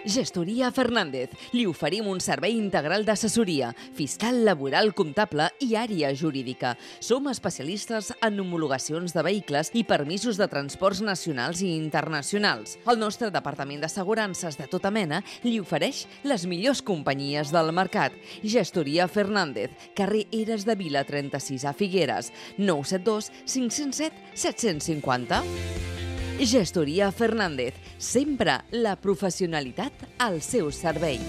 Gestoria Fernández. Li oferim un servei integral d'assessoria, fiscal, laboral, comptable i àrea jurídica. Som especialistes en homologacions de vehicles i permisos de transports nacionals i internacionals. El nostre departament d'assegurances de tota mena li ofereix les millors companyies del mercat. Gestoria Fernández, carrer Eres de Vila 36 a Figueres, 972 507 750. Gestoria Fernández, sempre la professionalitat al seu servei.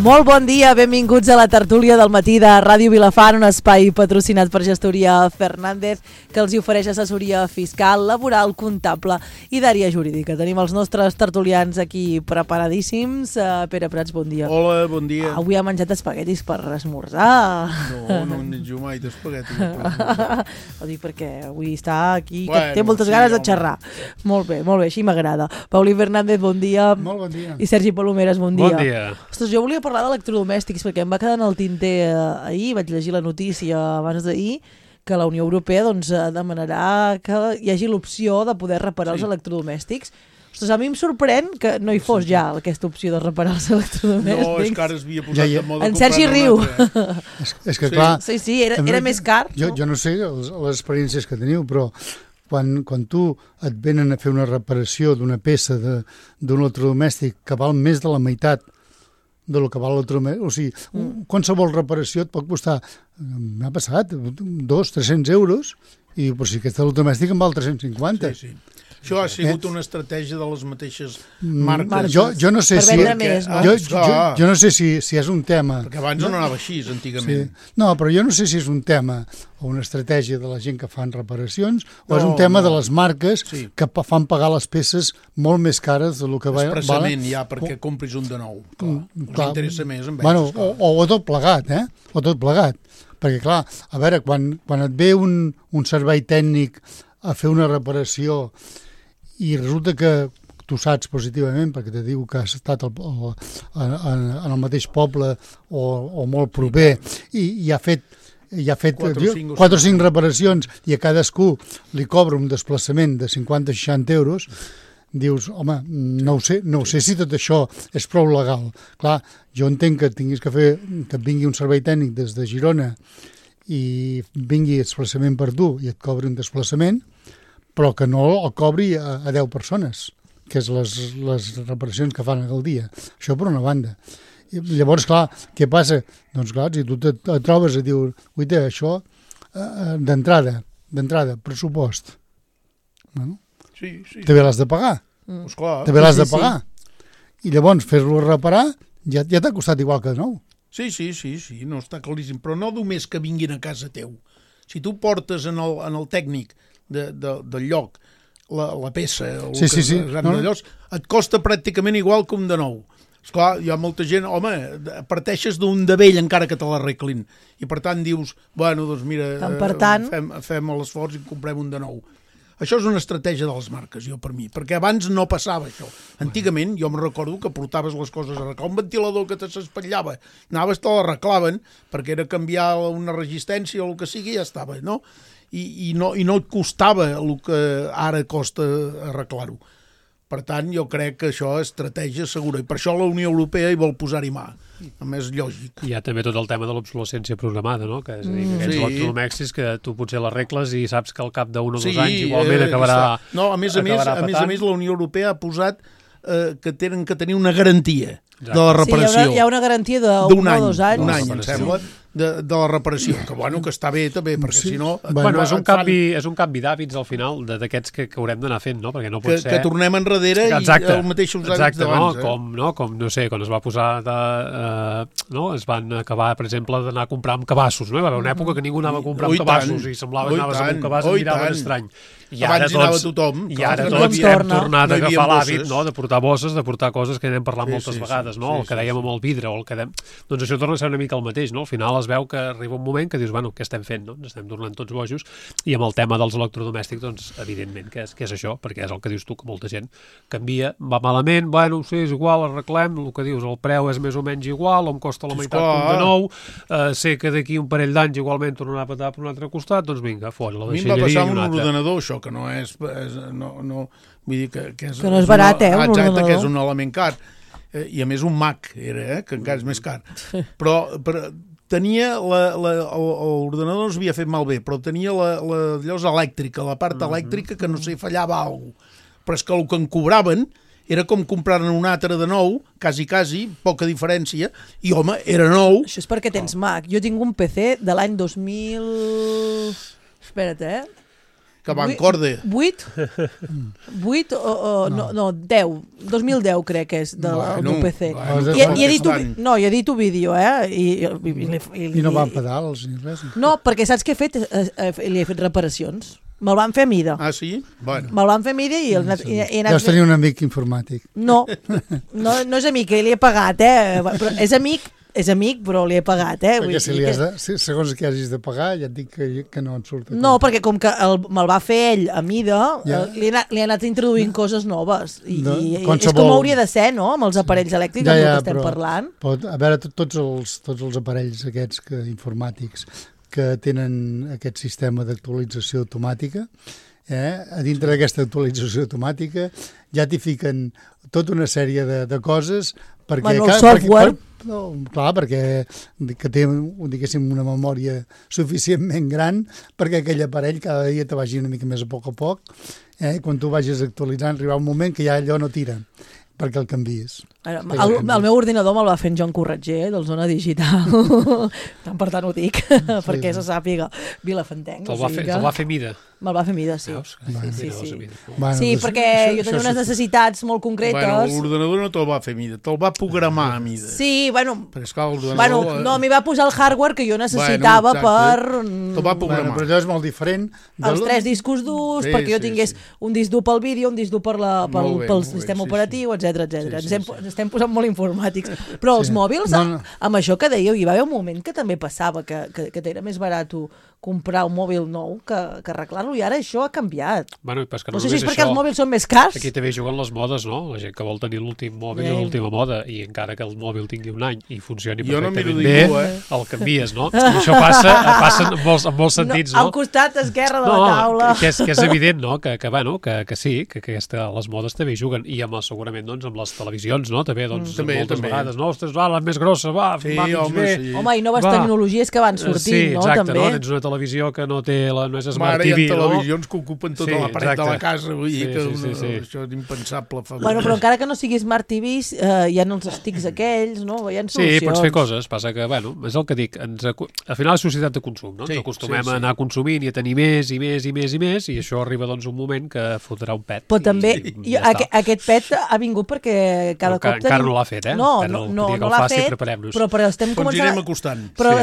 Molt bon dia, benvinguts a la tertúlia del matí de Ràdio Vilafant, un espai patrocinat per Gestoria Fernández que els ofereix assessoria fiscal, laboral, comptable i d'àrea jurídica. Tenim els nostres tertulians aquí preparadíssims. Pere Prats, bon dia. Hola, bon dia. Avui ha menjat espaguetis per esmorzar. No en menjo mai d'espaguetis. Ho dic perquè avui està aquí, que té moltes ganes de xerrar. Molt bé, així m'agrada. Pauli Fernández, bon dia. Molt bon dia. I Sergi Palomeres, bon dia. Bon dia. Ostres, jo volia parlar d'electrodomèstics perquè em va quedar en el tinter ahir, vaig llegir la notícia abans d'ahir, que la Unió Europea demanarà que hi hagi l'opció de poder reparar els electrodomèstics. Ostres, a mi em sorprèn que no hi fos ja aquesta opció de reparar els electrodomèstics. No, és que ara es havia posat de moda. En Sergi riu. És que clar... Sí, era més car. Jo no sé les experiències que teniu, però quan tu et venen a fer una reparació d'una peça d'un electrodomèstic que val més de la meitat del que val l'electrodomèstic, o sigui, qualsevol reparació et pot costar, m'ha passat, 200-300 euros, i però si aquest electrodomèstic en val 350. Sí. Això ha sigut una estratègia de les mateixes marques. Jo no sé si... Jo no sé si és un tema... Perquè abans no anava així, antigament. Sí. No, però jo no sé si és un tema o una estratègia de la gent que fan reparacions o és un tema de les marques que fan pagar les peces molt més cares del que valen. Expressament ja, perquè compris un de nou. Clar, interessa més amb ells. O tot plegat, O tot plegat. Perquè, clar, a veure, quan et ve un servei tècnic a fer una reparació i resulta que tu saps positivament, perquè te diu que has estat en el mateix poble o molt proper i ha fet 4 o 5 reparacions i a cadascú li cobra un desplaçament de 50-60 euros, dius, home, no ho sé si tot això és prou legal. Clar, jo entenc que tinguis que et vingui un servei tècnic des de Girona i vingui desplaçament per tu i et cobri un desplaçament, però que no el cobri a 10 persones, que és les reparacions que fan al dia. Això per una banda. I llavors, clar, què passa? Doncs clar, si tu et trobes i dius, uita, això d'entrada, pressupost. Bueno, també l'has de pagar. També l'has de pagar. I llavors, fer-lo reparar ja t'ha costat igual que de nou. Sí, no està claríssim, però no només que vinguin a casa teu. Si tu portes en el tècnic del lloc la peça et costa pràcticament igual que un de nou. Esclar, hi ha molta gent, home, parteixes d'un de vell encara que te l'arreglin i per tant dius, bueno, doncs mira, fem l'esforç i comprem un de nou. Això és una estratègia de les marques, per mi, perquè abans no passava això. Antigament, jo me'n recordo que portaves les coses a arreglar. Un ventilador que s'espatllava, anaves, te l'arreglaven, perquè era canviar una resistència o el que sigui, ja estava, no? I no et costava el que ara costa arreglar-ho. Per tant, jo crec que això és estratègia segura, i per això la Unió Europea hi vol posar-hi mà. A més, lògic. Hi ha també tot el tema de l'obsolescència programada, no? Que és a dir, que aquests electrodomèstics que tu potser l'arregles i saps que al cap d'un o 2 anys igualment acabarà... No, a més, la Unió Europea ha posat que tenen que tenir una garantia de la reparació. Sí, hi ha una garantia d'un o 2 anys. Un any, em sembla, de la reparació, que està bé també, perquè si no... Bueno, és un canvi d'hàbits al final d'aquests que haurem d'anar fent, no? Perquè no pot ser... Que tornem enrere i els mateixos hàbits d'abans. Com, no sé, quan es va posar es van acabar, per exemple, d'anar a comprar amb cabassos, no? Hi va haver una època que ningú anava a comprar amb cabassos i semblava que anaves amb un cabàs i miraven estrany. Abans hi anava tothom. I ara tots hem tornat a agafar l'hàbit de portar bosses, de portar coses que anem parlant moltes vegades, no? El que dèiem amb el vidre o el que dèiem... Doncs això torna a ser una mica el mateix, no? Al final has es veu que arriba un moment que dius, bueno, què estem fent, no? Ens estem tornant tots bojos, i amb el tema dels electrodomèstics, doncs, evidentment, que és això, perquè és el que dius tu, que molta gent canvia, va malament, bueno, sí, és igual, arreglem, el que dius, el preu és més o menys igual, o em costa la meitat com de nou, sé que d'aquí un parell d'anys igualment tornarà a petar per un altre costat, doncs vinga, fora, la deixalleria i un altre. A mi em va passar un ordenador, això, que no és vull dir que és... Que no és barat, un ordenador. Exacte, que és un element car. I a més un Mac era, que encara és més car. Però tenia l'ordenador no s'havia fet malbé, però tenia la llosa elèctrica, la part elèctrica que no sé, fallava alguna cosa. Però és que el que em cobraven era com comprar-ne un altre de nou, quasi, poca diferència, i home, era nou. Això és perquè tens Mac. Jo tinc un PC de l'any 2000... Espera't, que va en corda. 8 no, 10. 2010 crec que és del meu PC. I edito vídeo, I no van pedals ni res? No, perquè saps què he fet? Li he fet reparacions. Me'l van fer a mida. Ah, sí? Bueno. Me'l van fer a mida i he anat... Deus tenir un amic informàtic. No és amic, li he pagat, però és amic, però li he pagat, Perquè segons que hagis de pagar, ja et dic que no et surt. No, perquè com que me'l va fer ell a mida, li he anat introduint coses noves. I és com hauria de ser, no?, amb els aparells elèctrics del que estem parlant. A veure, tots els aparells aquests informàtics que tenen aquest sistema d'actualització automàtica, a dintre d'aquesta actualització automàtica ja t'hi fiquen tota una sèrie de coses perquè... Bueno, el software... Clar, perquè que té, diguéssim, una memòria suficientment gran perquè aquell aparell cada dia te vagi una mica més a poc, quan tu vagis actualitzant arribarà un moment que ja allò no tira perquè el canvies. El meu ordinador me'l va fer en Joan Corretger, del Zona Digital. Per tant ho dic, perquè se sàpiga Vilafantenc. Te'l va fer mida. Me'l va fer mida, sí. Sí, perquè jo tenia unes necessitats molt concretes. Bueno, l'ordenador no te'l va fer mida, te'l va programar a mida. Sí, bueno... Però esclar, l'ordenador... No, m'hi va posar el hardware que jo necessitava per... Te'l va programar. Però allò és molt diferent. Els 3 discos durs, perquè jo tingués un disc dur pel vídeo, un disc dur pel sistema operatiu, etc. Estem posant molt informàtics. Però els mòbils, amb això que dèieu, hi va haver un moment que també passava, que era més barat comprar un mòbil nou que arreglar-lo, i ara això ha canviat. Bueno, no sé si és perquè els mòbils són més cars. Aquí també juguen les modes, no? La gent que vol tenir l'últim mòbil i l'última moda, i encara que el mòbil tingui un any i funcioni perfectament bé, el canvies, no? I això passa en molts sentits, no? Al costat esquerre de la taula. Que és evident, no? Que sí, que les modes també juguen, i segurament amb les televisions, no? També, moltes vegades, no? Ostres, la més grossa, va mig bé. Home, i noves tecnologies que van sortint, no? Sí, exacte, no? Tens una televisió que no és Smart TV, no? Hi ha televisions que ocupen tota la paret de la casa, vull dir que això és impensable. Bueno, però encara que no sigui Smart TV, hi ha els sticks aquells, no? Hi ha solucions. Sí, pots fer coses, passa que, és el que dic, al final és societat de consum, no? Ens acostumem a anar consumint i a tenir més i més i més i més, i això arriba doncs un moment que fotrà un pet. Però també, aquest pet ha vingut perquè cada cop encara no l'ha fet, No l'ha fet, però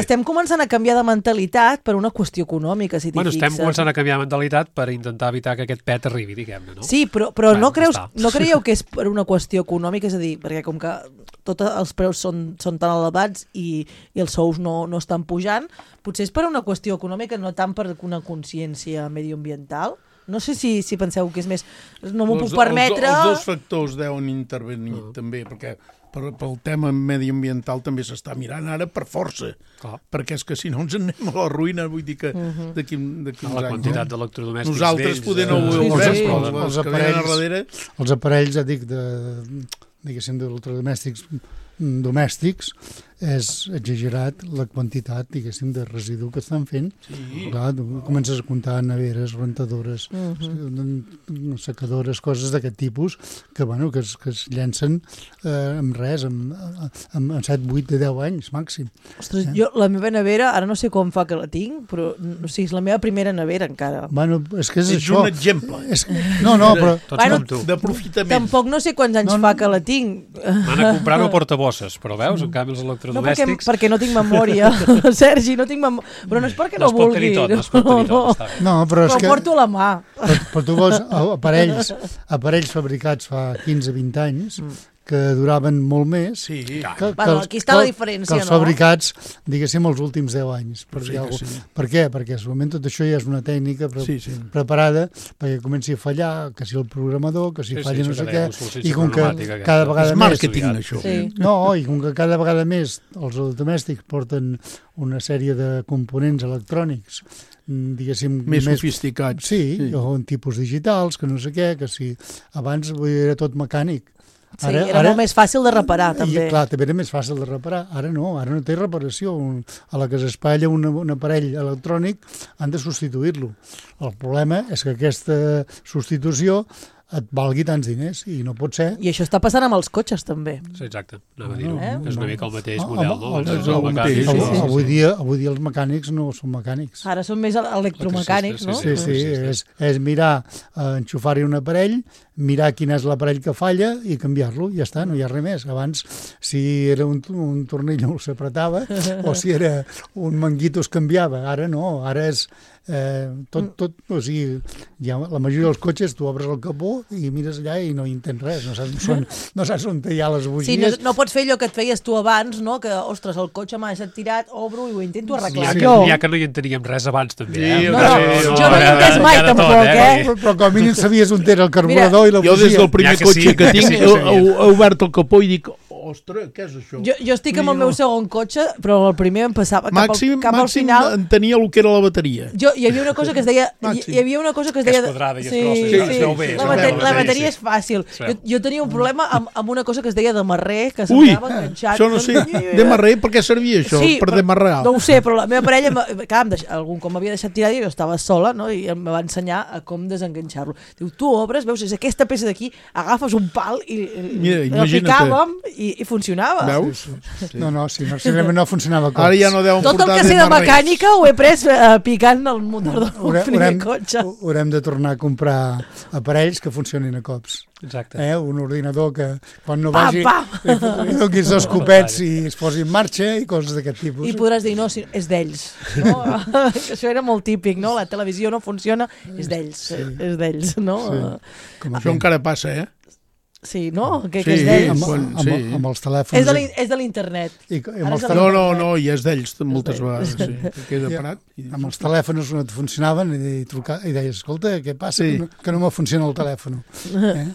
estem començant a canviar de mentalitat per una qüestió econòmica, si t'hi fixes. Estem començant a canviar de mentalitat per intentar evitar que aquest pet arribi, diguem-ne, no? Sí, però no creieu que és per una qüestió econòmica? És a dir, perquè com que tots els preus són tan elevats i els sous no estan pujant, potser és per una qüestió econòmica, no tant per una consciència medioambiental? No sé si penseu que és més... No m'ho puc permetre... Els dos factors deuen intervenir també, perquè pel tema mediambiental també s'està mirant ara per força, perquè és que si no ens anem a la ruïna, vull dir que d'aquí uns anys... La quantitat d'electrodomèstics nosaltres poder no ho veure, els aparells, diguéssim, d'electrodomèstics domèstics, és exagerat la quantitat, diguéssim, de residu que estan fent. Clar, tu comences a comptar neveres, rentadores, secadores, coses d'aquest tipus, que es llencen amb res, amb 7, 8, 10 anys màxim. Ostres, jo la meva nevera, ara no sé com fa que la tinc, però és la meva primera nevera encara. Bueno, és que és això. És un exemple. Però... Tots com tu. D'aprofitament. Tampoc no sé quants anys fa que la tinc. Van a comprar-ho a portabosses, però veus, en canvi els electrodomèstics... No, perquè no tinc memòria, Sergi, no tinc memòria. Però no és perquè no vulgui. No es pot tenir tot, està bé. No, però ho porto a la mà. Però tu veus aparells fabricats fa 15-20 anys que duraven molt més Aquí està la diferència, que els fabricats, diguéssim, els últims 10 anys. Per què? Perquè segurament tot això ja és una tècnica preparada perquè comenci a fallar, que si el programador, que si falla no sé què, i com que cada vegada més... Màrqueting, això. No, i com que cada vegada més els electrodomèstics porten una sèrie de components electrònics, diguéssim... Més sofisticats. Sí, o en tipus digitals, que no sé què, que si abans era tot mecànic. Sí, era molt més fàcil de reparar, també. I clar, també era més fàcil de reparar. Ara no té reparació. A la que s'espatlla un aparell electrònic han de substituir-lo. El problema és que aquesta substitució et valgui tants diners i no pot ser. I això està passant amb els cotxes també. Sí, exacte, anava a dir-ho. És una mica el mateix model, no? Avui dia els mecànics no són mecànics. Ara són més electromecànics, no? Sí, és mirar, enxufar-hi un aparell, mirar quin és l'aparell que falla i canviar-lo, ja està, no hi ha res més. Abans, si era un tornillo s'apretava o si era un manguito es canviava. Ara no, ara és tot, o sigui, la majoria dels cotxes tu obres el capó i mires allà i no hi entens res, no saps on hi ha les bugies. Sí, no pots fer allò que et feies tu abans, no? Que, ostres, el cotxe m'ha deixat tirat, obro i ho intento arreglar. Ja que no hi enteníem res abans, també. Jo no hi he entès mai, tampoc, Però com a mínim sabies on era el carburador i la bugia. Jo des del primer cotxe que tinc he obert el capó i dic, ostres, què és això? Jo estic amb el meu segon cotxe, però el primer em passava cap al final... Màxim entenia el que era la bateria. Hi havia una cosa que es deia... Hi havia una cosa que es deia... Que és quadrada i es grossa. La bateria és fàcil. Jo tenia un problema amb una cosa que es deia demarrer, que s'anava enganxat. Això no sé. Demarrer, per què servia això? Per demarrar? No ho sé, però la meva parella, algun com m'havia deixat tirar i jo estava sola, no? I em va ensenyar a com desenganxar-lo. Diu, tu obres, veus, és aquesta peça d'aquí, agafes un pal i la picàvem i funcionava. Veus? No, sincerament no funcionava cops. Ara ja no deuen tot el que sé de mecànica ho he pres picant el motor del primer cotxe. Haurem de tornar a comprar aparells que funcionin a cops. Exacte. Un ordinador que quan no vagi li donis dos copets i es posi en marxa i coses d'aquest tipus. I podràs dir, no, és d'ells. No? Això era molt típic, no? La televisió no funciona, és d'ells, no? Això encara passa, Sí, no? Que és d'ells. Amb els telèfons. És de l'internet. No, i és d'ells moltes vegades. Queda parat. Amb els telèfons no et funcionaven i deies, escolta, què passa? Que no me funciona el telèfon.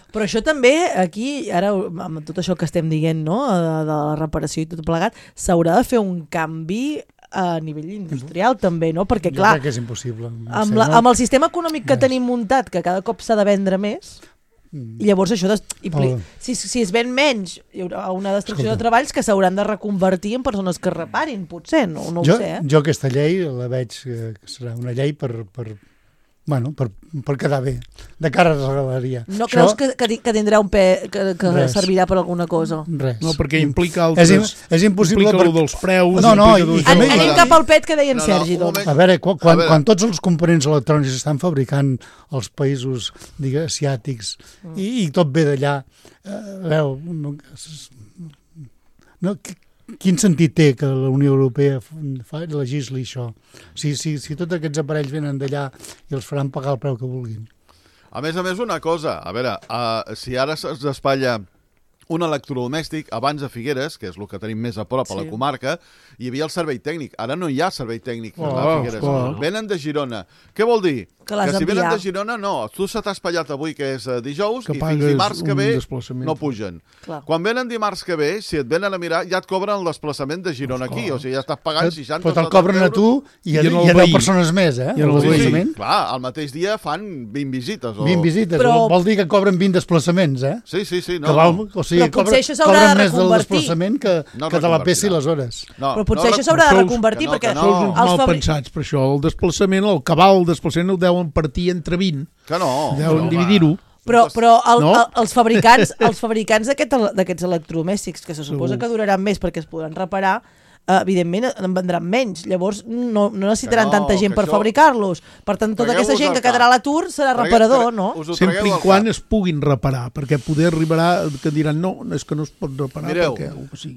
Però això també, aquí, ara, amb tot això que estem dient, no? De la reparació i tot plegat, s'haurà de fer un canvi a nivell industrial també, no? Perquè clar, jo crec que és impossible. Amb el sistema econòmic que tenim muntat, que cada cop s'ha de vendre més, i llavors això si es ven menys hi haurà una destrucció de treballs que s'hauran de reconvertir en persones que reparin, potser, no ho sé. Jo aquesta llei la veig que serà una llei per quedar bé, de cara a la galeria. No creus que tindrà un que servirà per alguna cosa? Res. No, perquè implica altres... És impossible... Implica el dels preus... Anem cap al pet que deia en Sergi, doncs. A veure, quan tots els components electrònics estan fabricant als països, asiàtics, i tot ve d'allà, quin sentit té que la Unió Europea legisli això? Si tots aquests aparells venen d'allà i els faran pagar el preu que vulguin. A més, una cosa, a veure, si ara es despatlla un electrodomèstic, abans a Figueres, que és el que tenim més a prop a la comarca, hi havia el servei tècnic. Ara no hi ha servei tècnic a Figueres. Venen de Girona. Què vol dir? Que si venen de Girona, no. Tu se t'ha espatllat avui, que és dijous, i fins dimarts que ve no pugen. Quan venen dimarts que ve, si et venen a mirar, ja et cobren el desplaçament de Girona aquí. O sigui, ja estàs pagant 60 però te'l cobren a tu i a 10 persones més, eh? Sí, clar, al mateix dia fan 20 visites. 20 visites, vol dir que cobren 20 desplaçaments, eh? Sí. O sigui, cobren més del desplaçament que de la peça i les hores. Però potser això s'haurà de reconvertir, perquè... Sou mal pensats per això. El desplaçament, el cabal del desplaçament el deuen partir entre 20. Que no. Deuen dividir-ho. Però els fabricants d'aquests electrodomèstics, que se suposa que duraran més perquè es podran reparar, evidentment en vendran menys. Llavors no necessitaran tanta gent per fabricar-los. Per tant, tota aquesta gent que quedarà a l'atur serà reparador, no? Sempre i quan es puguin reparar, perquè poder arribarà que diran no, és que no es pot reparar. Mireu,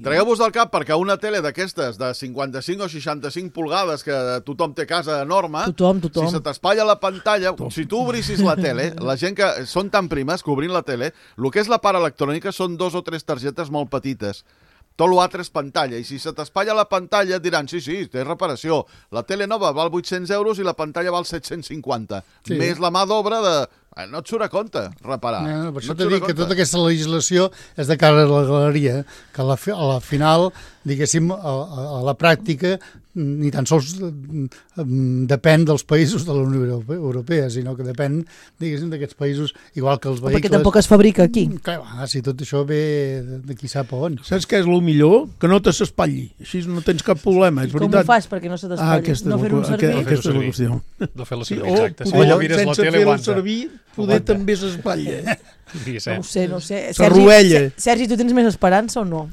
tragueu-vos del cap perquè una tele d'aquestes de 55 o 65 pulgades que tothom té a casa enorme, tothom. Si se t'espatlla la pantalla, si tu obrissis la tele, la gent que són tan primes que obrint la tele, el que és la part electrònica són 2 o 3 targetes molt petites. Tot l'altre és pantalla, i si se t'espatlla la pantalla et diran, sí, té reparació. La tele nova val 800 euros i la pantalla val 750. Sí. Més la mà d'obra de... No et surt a compte reparar. Per això t'he dit que tota aquesta legislació és de cara a la galeria, que a la final, diguéssim, a la pràctica, ni tan sols depèn dels països de la Unió Europea, sinó que depèn, diguéssim, d'aquests països, igual que els vehicles... Perquè tampoc es fabrica aquí. Clar, si tot això ve d'aquí sap on. Saps què és el millor? Que no te s'espatlli. Així no tens cap problema, és veritat. Com ho fas perquè no se t'espatlli? No fer-ho servir? Aquesta és la qüestió. No fer-la servir, exacte. Sense fer-la servir, poder també s'espatlla. No ho sé. Sergi, tu tens més esperança o no?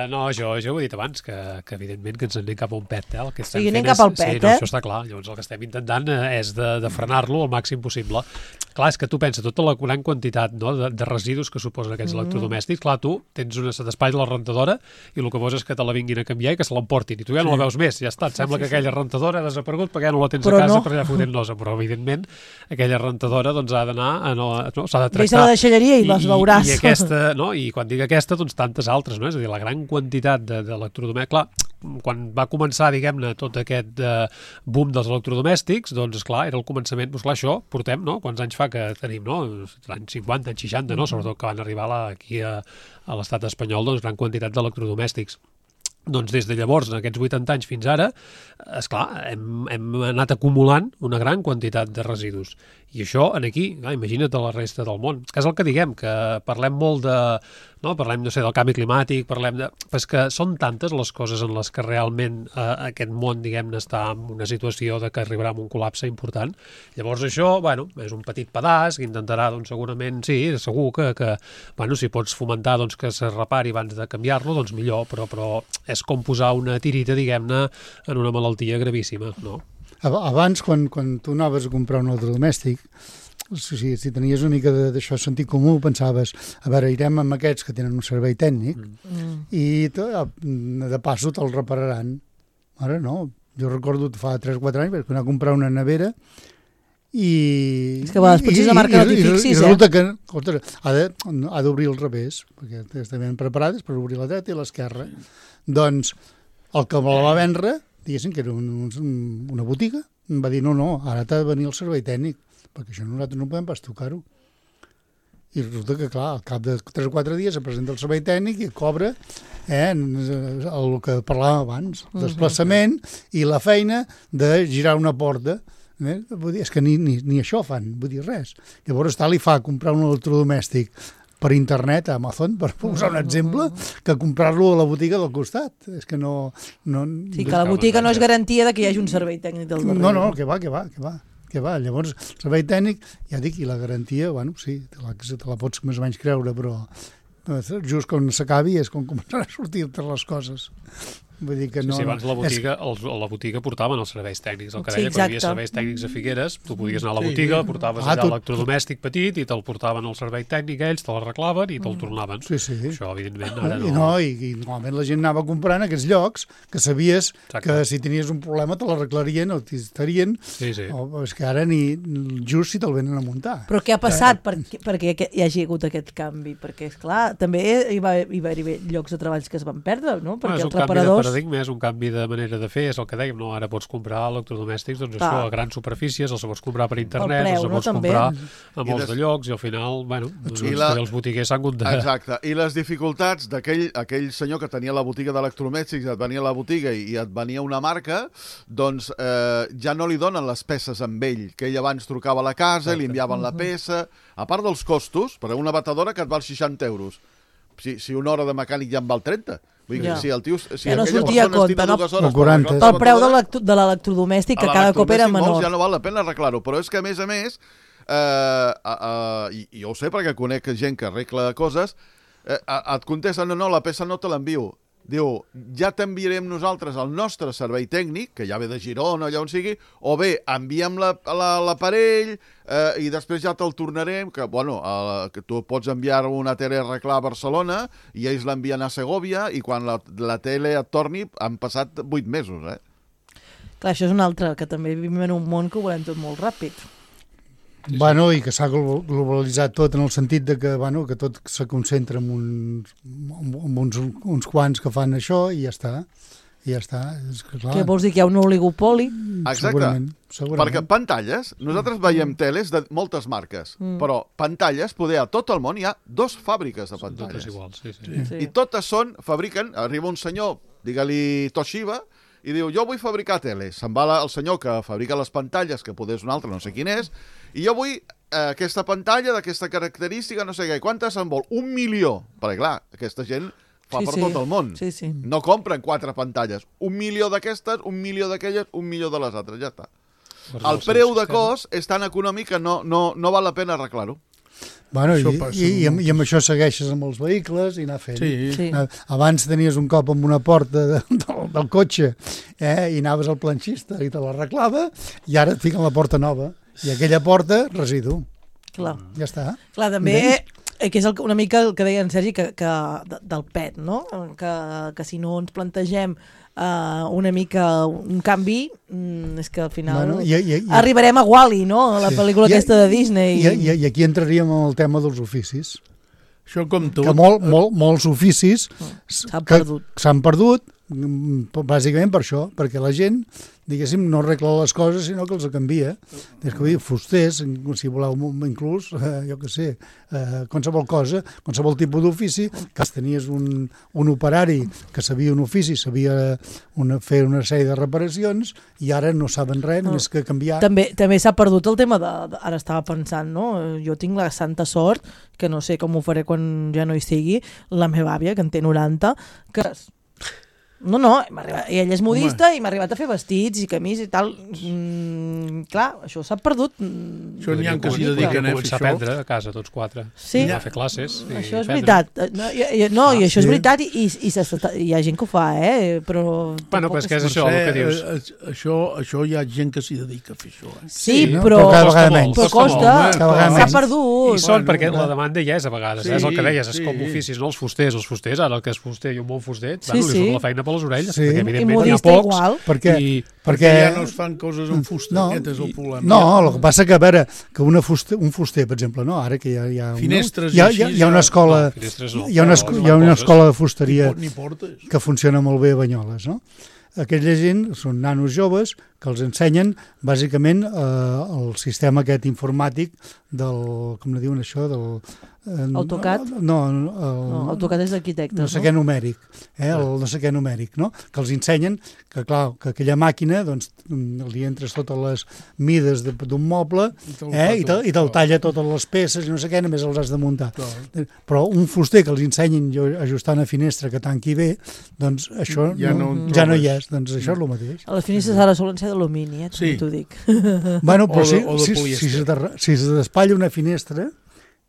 No, jo ho he dit abans, que evidentment que ens anem cap a un pet. El que estem anem cap al pet, no, això està clar. Llavors el que estem intentant és de frenar-lo al màxim possible. Clar, és que tu pensa tota la gran quantitat de residus que suposen aquests electrodomèstics. Clar, tu tens una setespalla a la rentadora i el que vols és que te la vinguin a canviar i que se l'emportin. I tu ja no la veus més, ja està. Et sembla que aquella rentadora ha desaparegut perquè ja no la tens a casa per allà fotent-nos. Però, evidentment, aquella rentadora doncs, ha d'anar... s'ha de tractar. Deixa la deixalleria i les veuràs. I aquesta, no? I quan dic aquesta, doncs tantes altres, no? És a dir, la gran quantitat d'electrodomèstics. Clar, quan va començar, diguem-ne, tot aquest boom dels electrodomèstics, doncs, clar, era el començament, doncs, clar, això portem, no? Quants anys fa que tenim, no? Anys 50, anys 60, no? Sobretot que van arribar aquí a l'estat espanyol, doncs, gran quantitat d'electrodomèstics. Doncs des de llavors, en aquests 80 anys fins ara, esclar, hem anat acumulant una gran quantitat de residus. I això, aquí, imagina't a la resta del món. Que és el que diguem, que parlem molt de... No? Parlem, no sé, del canvi climàtic, parlem de... Però és que són tantes les coses en les que realment aquest món, diguem-ne, està en una situació de que arribarà a un col·lapse important. Llavors això, bueno, és un petit pedaç que intentarà, doncs, segurament, sí, segur que bueno, si pots fomentar doncs, que se repari abans de canviar-lo, doncs millor, però és com posar una tirita, diguem-ne, en una malaltia gravíssima, no? Abans, quan tu anaves a comprar un electrodomèstic, si tenies una mica d'això sentit comú, pensaves, a veure, irem amb aquests que tenen un servei tècnic i de passo te'l repararan. Ara no, jo recordo fa 3 o 4 anys vaig anar a comprar una nevera i... És que a vegades potser la marca no t'hi fixis, i resulta que ha d'obrir al revés, perquè estan ben preparades per obrir la dreta i l'esquerra. Doncs el que me la va vendre, diguéssim que era una botiga, em va dir, no, ara t'ha de venir el servei tècnic, perquè això nosaltres no podem pas tocar-ho. I resulta que, clar, al cap de 3 o 4 dies se presenta el servei tècnic i cobra el que parlàvem abans, el desplaçament i la feina de girar una porta. Vull dir, és que ni això fan, vull dir res. Llavors li fa comprar un electrodomèstic per internet a Amazon, per posar un exemple, que comprar-lo a la botiga del costat. És que no... Sí, que la botiga no és garantia de que hi hagi un servei tècnic del darrere. No, que va. Llavors, el servei tècnic, ja dic, i la garantia, bueno, sí, te la pots més o menys creure, però just quan s'acabi és quan començaran a sortir-te les coses. Vull dir que no... Sí, abans la botiga portaven els serveis tècnics. El que deia, quan hi havia serveis tècnics a Figueres, tu podies anar a la botiga, portaves allà l'electrodomèstic petit i te'l portaven al servei tècnic, ells te l'arreglaven i te'l tornaven. Sí. Això, evidentment, ara no... I normalment la gent anava comprant aquests llocs que sabies que si tenies un problema te l'arreglarien o t'hi estarien. Sí. És que ara ni just si te'l venen a muntar. Però què ha passat perquè hi hagi hagut aquest canvi? Perquè, esclar, també hi va haver llocs de treballs que es van perdre, no? Perquè els reparadors... És un canvi de manera de fer, és el que dèiem, no? Ara pots comprar electrodomèstics, doncs això, a grans superfícies, els pots comprar per internet, els pots comprar a molts de llocs, i al final, bueno, els botiguers s'han hagut de... Exacte, i les dificultats d'aquell senyor que tenia la botiga d'electrodomèstics, et venia a la botiga i et venia una marca, doncs ja no li donen les peces amb ell, que ell abans trucava a la casa i li enviaven la peça, a part dels costos, per una batedora que et val 60 euros. Si una hora de mecànic ja en val 30. Vull dir, si el tio... Si no sortia a compte, no? El preu de l'electrodomèstic, que cada cop era menor. Ja no val la pena arreglar-ho, però és que, a més, i jo ho sé perquè conec gent que arregla coses, et contesten, no, la peça no te l'envio. diu, ja t'enviarem nosaltres el nostre servei tècnic, que ja ve de Girona, allà on sigui, o bé, enviem l'aparell i després ja te'l tornarem, que, bueno, que tu pots enviar una tele a arreglar a Barcelona i ells l'envien a Segòvia i quan la tele et torni han passat 8 mesos, Clar, això és un altre, que també vivim en un món que ho volem tot molt ràpid. Bueno, i que s'ha globalitzat tot en el sentit de que, bueno, que tot se concentra en uns quants que fan això i ja està. I ja està. És que, clar, Què vols dir, que hi ha un oligopoli? Exacte, segurament. perquè pantalles, nosaltres veiem teles de moltes marques, però pantalles, poder a tot el món hi ha 2 fàbriques de Són totes pantalles. iguals, Sí. I totes fabriquen, arriba un senyor, digue-li Toshiba, i diu, jo vull fabricar teles. Se'n va el senyor que fabrica les pantalles, que poder és un altre, no sé quin és, i jo vull aquesta pantalla d'aquesta característica, no sé què. Quantes en vol? 1 milió. Perquè, clar, aquesta gent fa per tot el món. Sí, sí. No compren 4 pantalles. 1 milió d'aquestes, 1 milió d'aquelles, 1 milió de les altres. Ja està. El preu de cost és tan econòmic que no val la pena arreglar-ho. Bueno, Això passa i amb això segueixes amb els vehicles i anar fent. Sí. Abans tenies un cop amb una porta del cotxe i anaves al planxista i te l'arreglava i ara et fiquen la porta nova i aquella porta, residu. Clar. Ja està. Clar, també, que és una mica el que deia en Sergi, que del PET, no? Que si no ens plantegem una mica un canvi, és que al final arribarem a Wall-E, no? La pel·lícula aquesta de Disney. I aquí entraríem en el tema dels oficis. Això com tot. Que molts oficis s'han perdut, bàsicament per això, perquè la gent, diguéssim, no arregla les coses, sinó que els canvia. És que fusters, si voleu inclús, jo què sé, qualsevol cosa, qualsevol tipus d'ofici, que tenies un operari que sabia un ofici, sabia fer una sèrie de reparacions, i ara no saben res, més que canviar. També s'ha perdut el tema ara estava pensant, no? Jo tinc la santa sort, que no sé com ho faré quan ja no hi sigui, la meva àvia, que en té 90, que... No, i ella és modista i m'ha arribat a fer vestits i camis i tal. Clar, això s'ha perdut. Això n'hi ha que s'hi dediquen a fer començar a aprendre a casa, tots 4. Sí. A fer classes. Això és veritat. No, i això és veritat i hi ha gent que ho fa, però... Bueno, però és que és això el que dius. Això hi ha gent que s'hi dedica a fer això. Sí, no? però cada vegada menys. Però costa, s'ha perdut. I són perquè la demanda ja és a vegades, és el que deies, és com oficis, no? Els fusters, ara el que és fuster i un bon fuster, li surt la feina per les orelles, perquè evidentment hi ha pocs, perquè ja no es fan coses amb fusta, aquest és el problema. No, el que passa que, a veure, que un fuster, per exemple, no? Ara que hi ha finestres hi ha una escola hi ha una escola de fusteria que funciona molt bé a Banyoles, no? Aquella gent són nanos joves que els ensenyen bàsicament el sistema aquest informàtic del, com ne diuen això, del... AutoCAD? No, AutoCAD és d'arquitectes, no sé què numèric, el no sé què numèric, no? Que els ensenyen que, clar, que aquella màquina, doncs, li entres totes les mides d'un moble i te'l talla totes les peces i no sé què, només els has de muntar. Però un fuster que els ensenyin a ajustar una finestra que tanqui bé, doncs això ja no hi és, doncs això és el mateix. A les finestres ara solen ser d'alumini, també t'ho dic. Bueno, però si se despatlla una finestra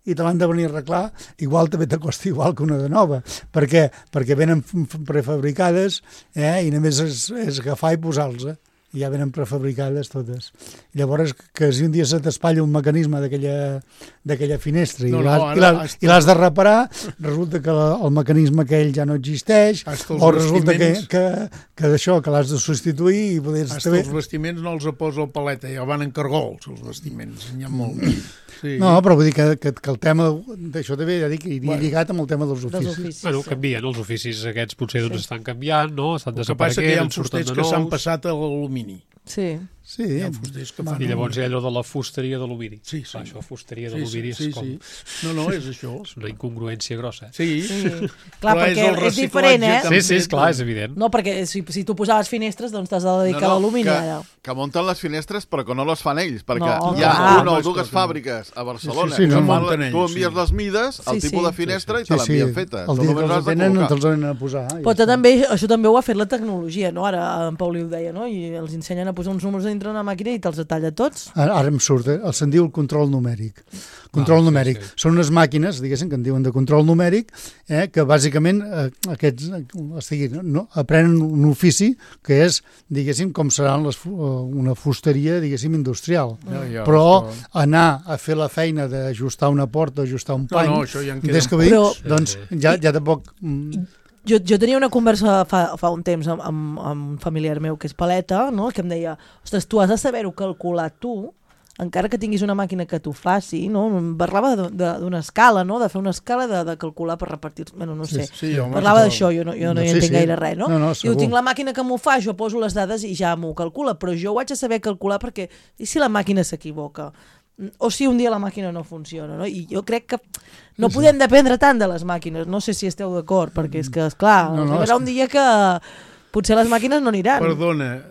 i te l'han de venir a arreglar, igual també te costa igual que una de nova. Per què? Perquè venen prefabricades i només és agafar i posar-los. I ja venen prefabricades totes. I llavors, que si un dia se t'espatlla un mecanisme d'aquella finestra i l'has de reparar, resulta que el mecanisme aquell ja no existeix, o resulta que d'això, que l'has de substituir i poder... Els vestiments no els posa el paleta, ja van en cargols, els vestiments, n'hi ha molt. Sí. No, però vull dir que el tema d'això també ja dic, iria lligat amb el tema dels oficis. Bueno, canvien, els oficis aquests potser estan canviant, no? Estan desapareguent, que hi ha fusters que s'han passat a l'alumini. Sí. Hi ha fusters que fan... I llavors hi ha allò de la fusteria d'alumini. Sí. Això, fusteria d'alumini és com... No, és això. És una incongruència grossa. Sí. Clar, perquè és diferent, Sí, clar, és evident. No, perquè si tu posaves finestres, doncs t'has de dedicar a l'alumini ara. Que munten les finestres però que no les fan ells, perquè hi ha una o dues fàbriques a Barcelona que tu envies les mides, el tipus de finestra i te l'envien feta. El dia que els tenen te'ls han de posar. Però això també ho ha fet la tecnologia, no? Ara en Pauli ho deia, no? I els ensenyen a posar uns números dintre una màquina i te'ls talla tots. Ara em surt, se'n diu el control numèric. Control numèric. Sí. Són unes màquines, diguéssim, que en diuen de control numèric, que bàsicament aprenen un ofici que és, diguéssim, com serà una fusteria, diguéssim, industrial. Però anar a fer la feina d'ajustar una porta, ajustar un pany, des que doncs ja tampoc... Jo tenia una conversa fa un temps amb un familiar meu que és paleta, no? Que em deia, ostres, tu has de saber-ho calcular tu, encara que tinguis una màquina que t'ho faci, no? Em parlava d'una escala, no? De fer una escala de calcular per repartir... Bueno, no sé. Parlava d'això, jo no hi entenc gaire res, no? Diu, tinc la màquina que m'ho fa, jo poso les dades i ja m'ho calcula, però jo ho haig de saber calcular perquè... I si la màquina s'equivoca? O si un dia la màquina no funciona, no? I jo crec que no podem dependre tant de les màquines, no sé si esteu d'acord, perquè és que, esclar, arribarà un dia que potser les màquines no aniran. Perdona,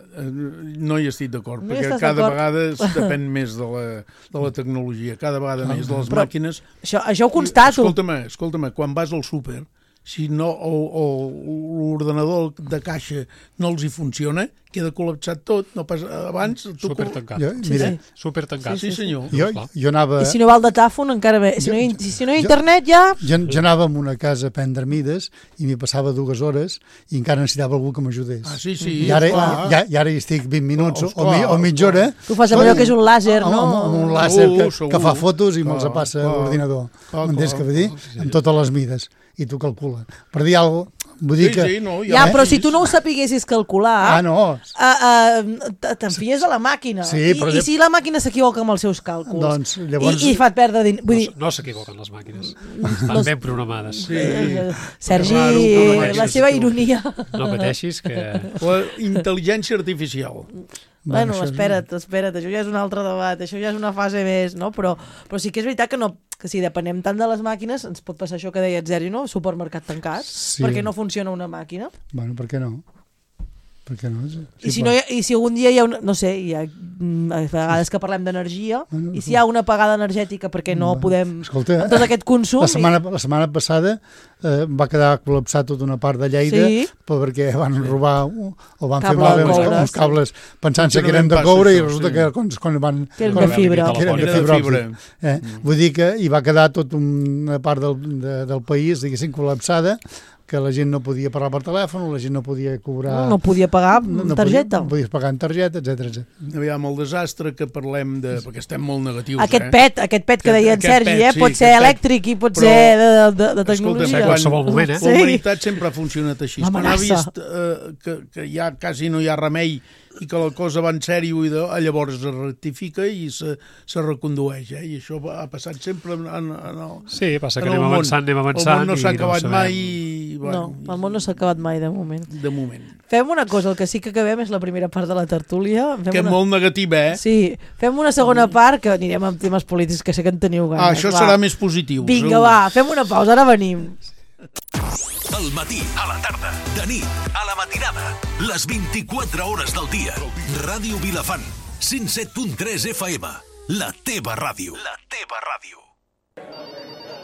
no hi estic d'acord, perquè cada vegada depèn més de la tecnologia, cada vegada més de les màquines. Això ho constato. Escolta'm, quan vas al súper, si no l'ordenador de caixa no els hi funciona, queda col·lapsat tot, no pas abans... Supertancat. Supertancat. Sí, senyor. Jo anava... I si no va el datàfon, encara bé. Si no hi ha internet, ja... Jo anava a una casa a prendre mides i m'hi passava 2 hores i encara necessitava algú que m'ajudés. Ah, sí, I ara hi estic 20 minuts o mitja hora... Tu fas allò que és un làser, no? Un làser que fa fotos i me'ls passa a l'ordinador. M'entens què vull dir? Amb totes les mides. I tu calcula. Per dir alguna cosa, vull dir que... Ja, però si tu no ho sapiguessis calcular... no. T'enfies a la màquina. I si la màquina s'equivoca amb els seus càlculs? Doncs llavors... I fa perdre... No s'equivoquen les màquines. Estan ben programades. Sergi, la seva ironia. No pateixis que... La intel·ligència artificial. Bueno, espera't, això ja és un altre debat, això ja és una fase més, no? Però sí que és veritat que si depenem tant de les màquines, ens pot passar això que deia Sergi, no? Supermercat tancat, perquè no funciona una màquina. Bueno, per què no? Per què no? I si algun dia hi ha una... No sé, hi ha a vegades que parlem d'energia, i si hi ha una apagada energètica perquè no podem... Escolta, amb tot aquest consum... La setmana passada va quedar col·lapsat tota una part de Lleida perquè van robar o van fer malbé uns cables pensant-se que eren de coure i resulta que quan van... Que eren de fibra. Vull dir que hi va quedar tota una part del país, diguéssim, col·lapsada, que la gent no podia parlar per telèfon, la gent no podia cobrar... No podia pagar amb targeta. No podies pagar amb targeta, etc. Aviam, el desastre que parlem de... perquè estem molt negatius, aquest pet que deia en Sergi, pot ser elèctric i pot ser de tecnologia. Qualsevol moment, la humanitat sempre ha funcionat així. Quan ha vist que ja quasi no hi ha remei i que la cosa va en sèrio i llavors es rectifica i se recondueix, i això ha passat sempre Sí, passa que anem avançant. El món no s'ha acabat mai. No, el món no s'ha acabat mai, de moment. De moment. Fem una cosa, el que sí que acabem és la primera part de la tertúlia. Que és molt negativa, Sí, fem una segona part, que anirem amb temes polítics, que sé que en teniu ganes. Això serà més positiu. Vinga, va, fem una pausa, ara venim. Al matí, a la tarda, de nit, a la matinada, les 24 hores del dia. Ràdio Vilafant, 107.3 FM, la teva ràdio. La teva ràdio.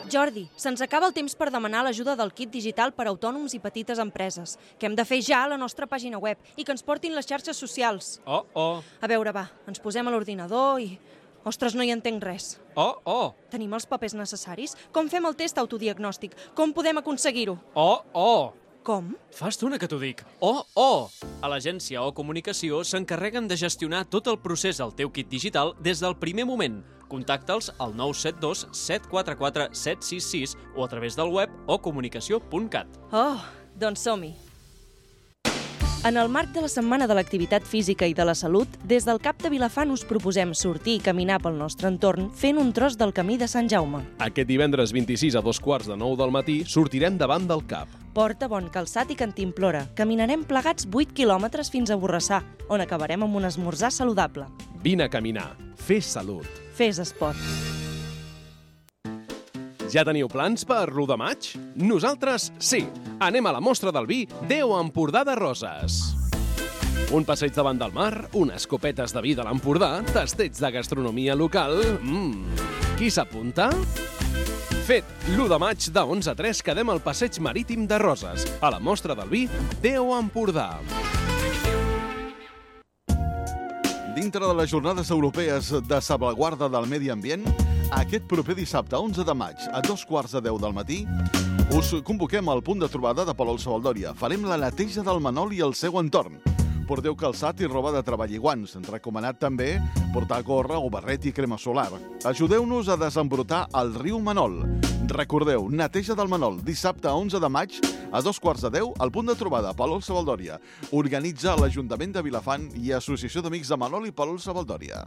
Jordi, se'ns acaba el temps per demanar l'ajuda del kit digital per a autònoms i petites empreses, que hem de fer ja a la nostra pàgina web i que ens portin les xarxes socials. A veure, va, ens posem a l'ordinador i... Ostres, no hi entenc res. Tenim els papers necessaris? Com fem el test autodiagnòstic? Com podem aconseguir-ho? Com? Fa estona que t'ho dic. A l'agència O Comunicació s'encarreguen de gestionar tot el procés al teu kit digital des del primer moment. Contacta'ls al 972 744 766 o a través del web ocomunicació.cat. Doncs som-hi. En el marc de la Setmana de l'Activitat Física i de la Salut, des del CAP de Vilafant us proposem sortir i caminar pel nostre entorn fent un tros del camí de Sant Jaume. Aquest divendres 26 a 2:45 del matí sortirem davant del CAP. Porta bon calçat i cantimplora. Caminarem plegats 8 quilòmetres fins a Borrassà, on acabarem amb un esmorzar saludable. Vine a caminar. Fes salut. Fes esport. Ja teniu plans per l'1 de maig? Nosaltres sí. Anem a la mostra del vi Déu Empordà de Roses. Un passeig davant del mar, unes copetes de vi de l'Empordà, tasteig de gastronomia local... Qui s'apunta? Fet, l'1 de maig de 11 a 3 quedem al passeig marítim de Roses, a la mostra del vi Déu Empordà. Dintre de les jornades europees de salvaguarda del medi ambient, aquest proper dissabte 11 de maig a 2:15 del matí us convoquem al punt de trobada de Palol Savaldòria. Farem la neteja del Manol i el seu entorn. Porteu calçat i roba de treball i guants. Recomanat també portar gorra o barret i crema solar. Ajudeu-nos a desembrutar el riu Manol. Recordeu, neteja del Manol, dissabte 11 de maig a 2:15 al punt de trobada Palol Savaldòria. Organitza l'Ajuntament de Vilafant i Associació d'Amics de Manol i Palol Savaldòria.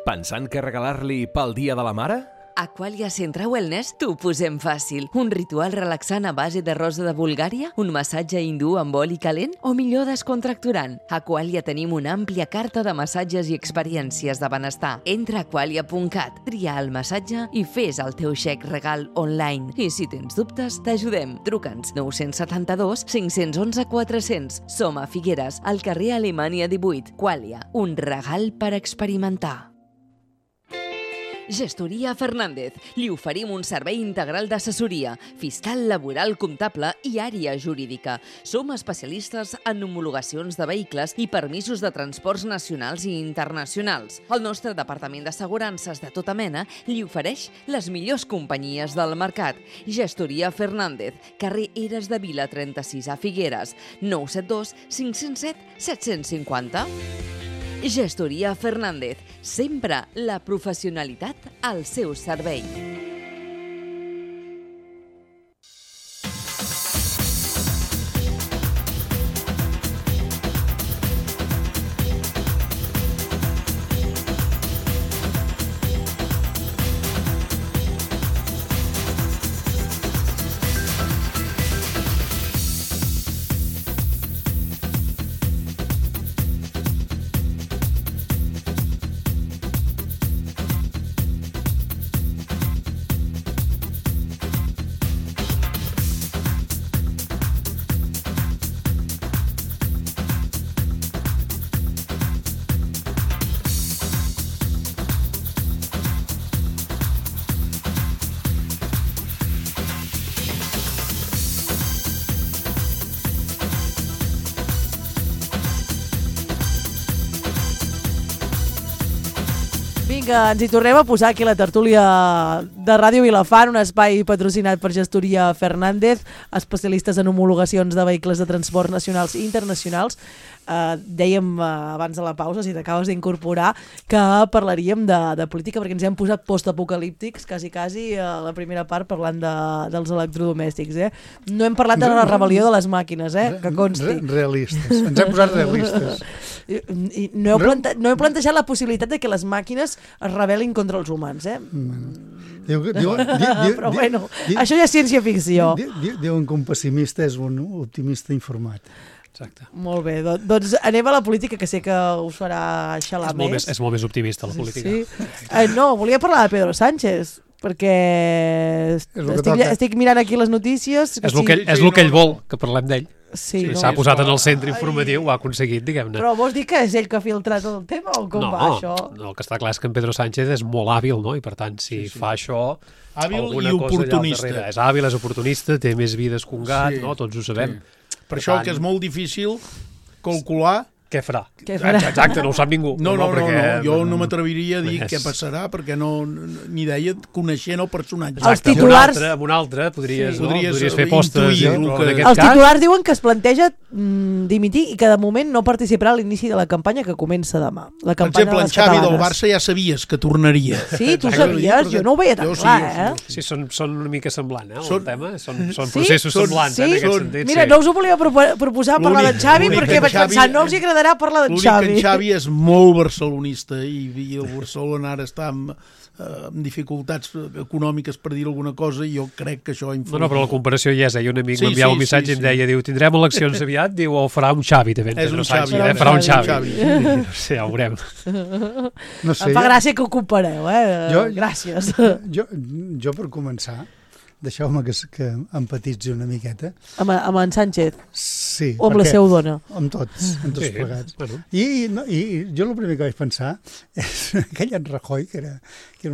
Pensant què regalar-li pel Dia de la Mare? Aqualia Centre Wellness t'ho posem fàcil. Un ritual relaxant a base de rosa de Bulgària, un massatge hindú amb oli calent o millor descontracturant. A Aqualia tenim una àmplia carta de massatges i experiències de benestar. Entra a aqualia.cat, tria el massatge i fes el teu xec regal online. I si tens dubtes, t'ajudem. Truca'ns 972 511 400. Som a Figueres, al carrer Alemanya 18. Aqualia, un regal per experimentar. Gestoria Fernández. Li oferim un servei integral d'assessoria, fiscal, laboral, comptable i àrea jurídica. Som especialistes en homologacions de vehicles i permisos de transports nacionals i internacionals. El nostre departament d'assegurances de tota mena li ofereix les millors companyies del mercat. Gestoria Fernández, carrer Eres de Vila 36 a Figueres, 972 507 750. Gestoria Fernández, sempre la professionalitat al seu servei. Vinga, ens hi tornem a posar aquí la tertúlia de Ràdio Vilafant, un espai patrocinat per Gestoria Fernández, especialistes en homologacions de vehicles de transport nacionals i internacionals. Dèiem abans de la pausa, si t'acabes d'incorporar, que parlaríem de política, perquè ens hem posat postapocalíptics, quasi a la primera part, parlant dels electrodomèstics. No hem parlat de la rebel·lió de les màquines, que consti. Realistes, ens hem posat realistes. I no heu plantejat la possibilitat de que les màquines es rebel·lin contra els humans, Però bueno, això ja és ciència-ficció. Diuen que un pessimista és un optimista informat. Exacte. Molt bé, doncs anem a la política, que sé que us farà xalar més. És molt més optimista, la política. Sí. No, volia parlar de Pedro Sánchez, perquè estic mirant aquí les notícies. És el que ell vol, que parlem d'ell. Sí, s'ha posat en el centre informatiu, ho ha aconseguit, diguem-ne. Però vols dir que és ell que ha filtrat el tema o com va això? No, el que està clar és que en Pedro Sánchez és molt hàbil, no? I per tant, si fa això... Hàbil i oportunista. És hàbil, és oportunista, té més vides que un gat, no? Tots ho sabem. Per això que és molt difícil calcular què farà. Exacte, no ho sap ningú. No, jo no m'atreviria a dir què passarà, perquè ni idea, coneixent el personatge. Els titulars... Amb un altre podries fer postes. Els titulars diuen que es planteja dimitir i que de moment no participarà a l'inici de la campanya, que comença demà. Per exemple, en Xavi del Barça ja sabies que tornaria. Sí, tu sabies? Jo no ho veia tan clar, Sí, són una mica semblant, el tema. Són processos semblants, en aquest sentit. Mira, no us ho volia proposar parlar d'en Xavi, perquè vaig pensar, no els agradarà parlar d'en Xavi. L'únic que en Xavi és molt barcelonista i el Barcelona ara està amb dificultats econòmiques, per dir alguna cosa, i jo crec que això influeix. No, però la comparació ja és. Un amic m'enviava un missatge i em deia, diu, tindrem eleccions aviat, diu, o farà un Xavi, també. És un Xavi. Farà un Xavi. Sí, ja ho veurem. Em fa gràcia que ho compareu, gràcies. Jo, per començar, deixeu-me que empatitzi una miqueta. Amb en Sánchez? Sí. O amb la seva dona? Amb tots plegats. I jo el primer que vaig pensar és aquell en Rajoy, que era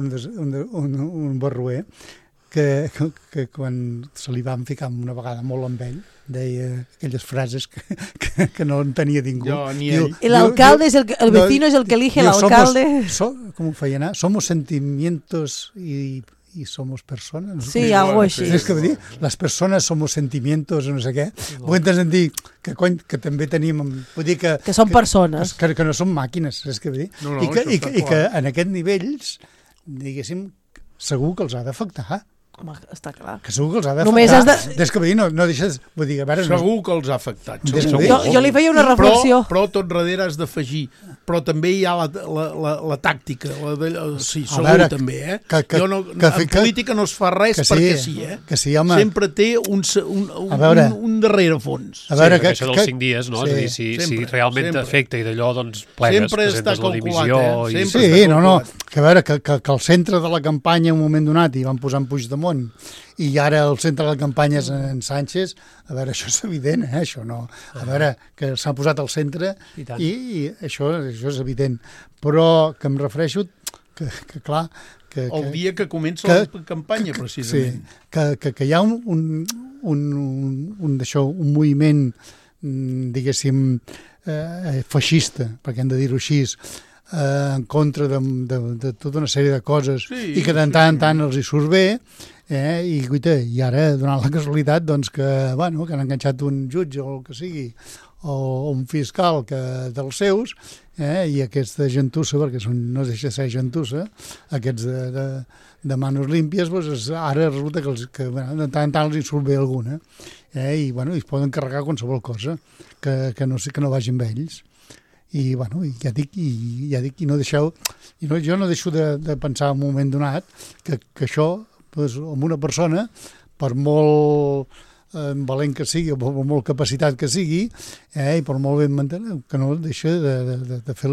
un barroer, que quan se li van ficar una vegada molt amb ell, deia aquelles frases que no entenia ningú. El alcalde es el vecino es el que elige el alcalde. ¿Cómo fue anar? Somos sentimientos y somos personas. No sí, algo així. És que dir, les persones somos sentimientos, no sé què. Vull dir que també tenim... Vull dir que són persones. Que no són màquines, és que dir. I que en aquests nivells, diguéssim, segur que els ha d'afectar. Home, està clar. Que segur que els ha d'afectar. Des que no deixes... Vull dir, a veure, segur que els ha afectat. Jo li feia una reflexió. Però tot darrere has d'afegir. Però també hi ha la tàctica. Sí, segur també, eh? En política no es fa res perquè sí, eh? Sempre té un darrere fons. A veure, això dels 5 dies, no? És a dir, si realment t'afecta i d'allò, doncs plegues, presentes la dimissió... Sí, no, que a veure, que al centre de la campanya en un moment donat hi van posar en Puigdemont i ara el centre de la campanya és en Sánchez, a veure, això és evident, això no. A veure, que s'ha posat al centre i això és evident. Però que em refereixo que clar... El dia que comença la campanya, precisament. Sí, que hi ha un moviment, diguéssim, feixista, perquè hem de dir-ho així, en contra de tota una sèrie de coses i que de tant en tant els hi surt bé, i ara, donant la casualitat que han enganxat un jutge o el que sigui, o un fiscal dels seus, i aquesta gentussa, perquè no deixa de ser gentussa, aquests de manos límpies, ara resulta que de tant en tant els hi surt bé alguna, i es poden carregar qualsevol cosa que no vagi amb ells. I ja dic, i no deixeu, jo no deixo de pensar en un moment donat que això, amb una persona, per molt valent que sigui, o per molt capacitat que sigui, i per molt ben mantenir, que no deixa de fer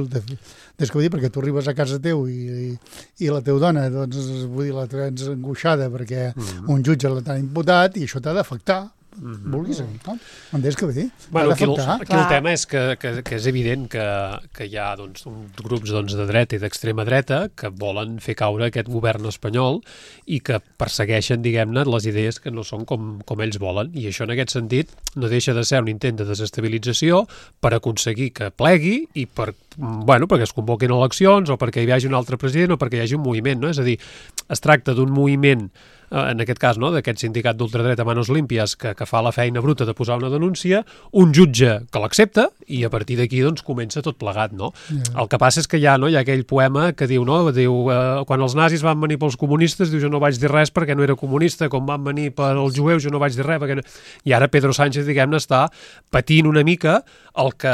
perquè tu arribes a casa teu i la teva dona, la tens angoixada perquè un jutge l'ha imputat i això t'ha d'afectar. Vulguis dir, no? Entens què vull dir? Aquí el tema és que és evident que hi ha uns grups de dreta i d'extrema dreta que volen fer caure aquest govern espanyol i que persegueixen, diguem-ne, les idees que no són com ells volen. I això, en aquest sentit, no deixa de ser un intent de desestabilització per aconseguir que plegui i perquè es convoquin eleccions o perquè hi hagi un altre president o perquè hi hagi un moviment, no? És a dir, es tracta d'un moviment, en aquest cas, d'aquest sindicat d'ultradreta Manos Límpies que fa la feina bruta de posar una denúncia, un jutge que l'accepta i a partir d'aquí comença tot plegat, no? El que passa és que hi ha aquell poema que diu, quan els nazis van venir pels comunistes, diu, jo no vaig dir res perquè no era comunista, com van venir pels jueus jo no vaig dir res perquè no... I ara Pedro Sánchez, diguem-ne, està patint una mica el que,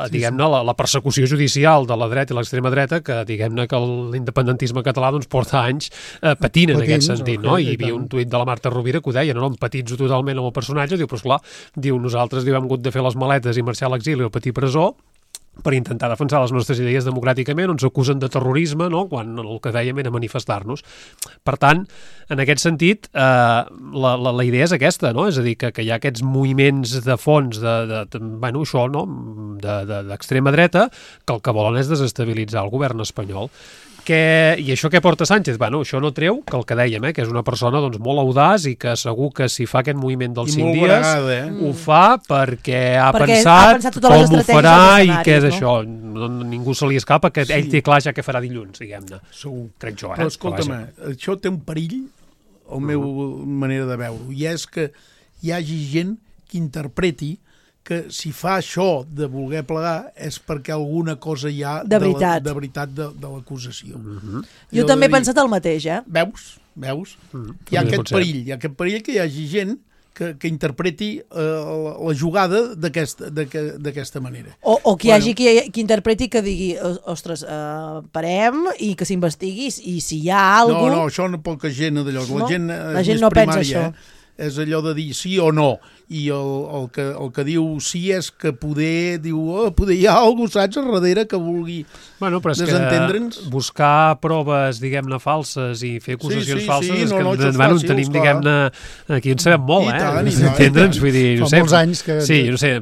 diguem-ne, la persecució judicial de la dreta i l'extrema dreta, que diguem-ne que l'independentisme català porta anys patint en aquest sentit, no? I hi havia un tuit de la Marta Rovira que ho deia, no empatitzo totalment amb el personatge, diu, però esclar, nosaltres hem hagut de fer les maletes i marxar a l'exili o patir presó per intentar defensar les nostres idees democràticament, on s'acusen de terrorisme, no? Quan el que dèiem era manifestar-nos. Per tant, en aquest sentit, la idea és aquesta, no? És a dir, que hi ha aquests moviments de fons d'extrema dreta que el que volen és desestabilitzar el govern espanyol. I això què porta Sánchez? Això no treu que el que dèiem, que és una persona molt audaç i que segur que si fa aquest moviment dels 5 dies ho fa perquè ha pensat com ho farà i què és això. Ningú se li escapa que ell té clar ja què farà dilluns, diguem-ne. Crec jo, Però escolta'm, això té un perill, la meva manera de veure-ho, i és que hi hagi gent que interpreti que si fa això de voler plegar és perquè alguna cosa hi ha de veritat de l'acusació. Jo també he pensat el mateix, Veus? Hi ha aquest perill que hi hagi gent que interpreti la jugada d'aquesta manera. O que hi hagi qui interpreti que digui, ostres, parem i que s'investigui i si hi ha alguna cosa... No, això no poca gent d'allò. La gent no pensa això. és allò de dir sí o no, i el que diu sí és que poder hi ha algú, saps, a darrere que vulgui desentendre'ns. Buscar proves, diguem-ne, falses i fer acusacions falses, és que en tenim, diguem-ne, aquí en sabem molt, entendre'ns, vull dir, no sé. Fa molts anys que... Sí, no sé,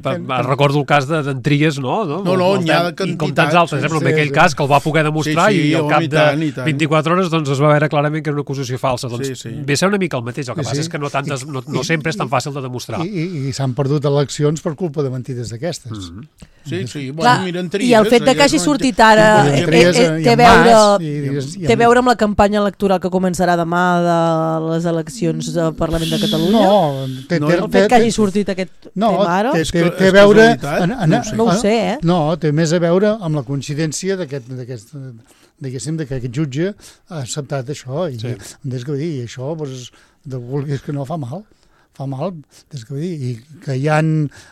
recordo el cas d'en Trias, no? N'hi ha quantitats. I com tants altres, però en aquell cas que el va poder demostrar i al cap de 24 hores doncs es va veure clarament que era una acusació falsa. Doncs ve a ser una mica el mateix, el que passa és que no sempre és tan fàcil de demostrar. I s'han perdut eleccions per culpa de mentides d'aquestes. Sí, bueno, miren Trias. I el fet que hagi sortit ara té a veure amb la campanya electoral que començarà demà de les eleccions al Parlament de Catalunya? No. El fet que hagi sortit aquest tema ara? Té a veure... No ho sé, No, té més a veure amb la coincidència diguéssim, que aquest jutge ha acceptat això. I això, vulguis que no, fa mal, i que hi ha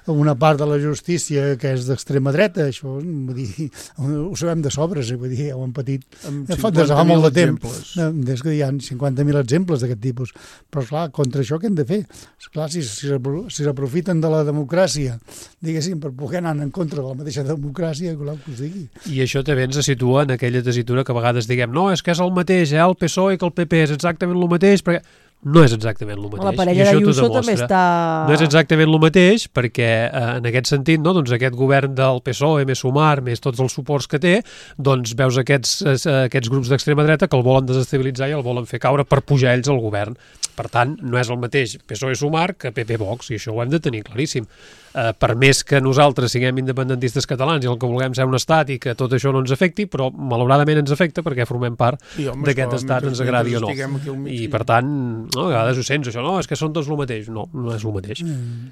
una part de la justícia que és d'extrema dreta, això ho sabem de sobres, ho hem patit des de fa molt de temps, des que hi ha 50.000 exemples d'aquest tipus, però esclar, contra això què hem de fer? Esclar, si s'aprofiten de la democràcia, diguéssim, per poder anar en contra de la mateixa democràcia, que us digui. I això també ens situa en aquella tessitura que a vegades diguem, no, és que és el mateix, el PSOE que el PP és exactament el mateix, perquè no és exactament el mateix. La parella d'Ayuso també està... No és exactament el mateix perquè en aquest sentit, no, doncs aquest govern del PSOE, més Sumar, més tots els suports que té, doncs veus aquests grups d'extrema dreta que el volen desestabilitzar i el volen fer caure per pujar ells al govern. Per tant, no és el mateix PSOE-Sumar que PP-Vox, i això ho hem de tenir claríssim. Per més que nosaltres siguem independentistes catalans i el que vulguem ser un estat i que tot això no ens afecti, però malauradament ens afecta perquè formem part d'aquest estat, ens agradi o no. I per tant, a vegades ho sents això, no, és que són tots el mateix. No és el mateix.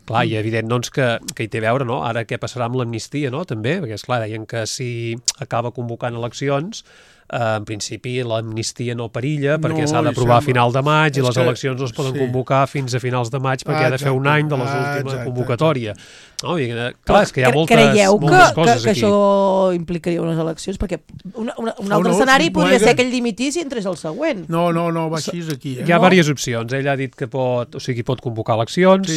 Clar, i evident doncs, que hi té a veure, no? Ara què passarà amb l'amnistia, no? També, perquè esclar, deien que si acaba convocant eleccions, en principi l'amnistia no perilla perquè s'ha d'aprovar a final de maig i les eleccions no es poden convocar fins a finals de maig perquè ha de fer un any de l'última convocatòria. No, clar, és que hi ha moltes coses que això implicaria unes eleccions? Perquè un altre escenari podria ser que ell dimitís i entrés el següent. No, va així aquí. Hi ha diverses opcions. Ell ha dit que pot convocar eleccions,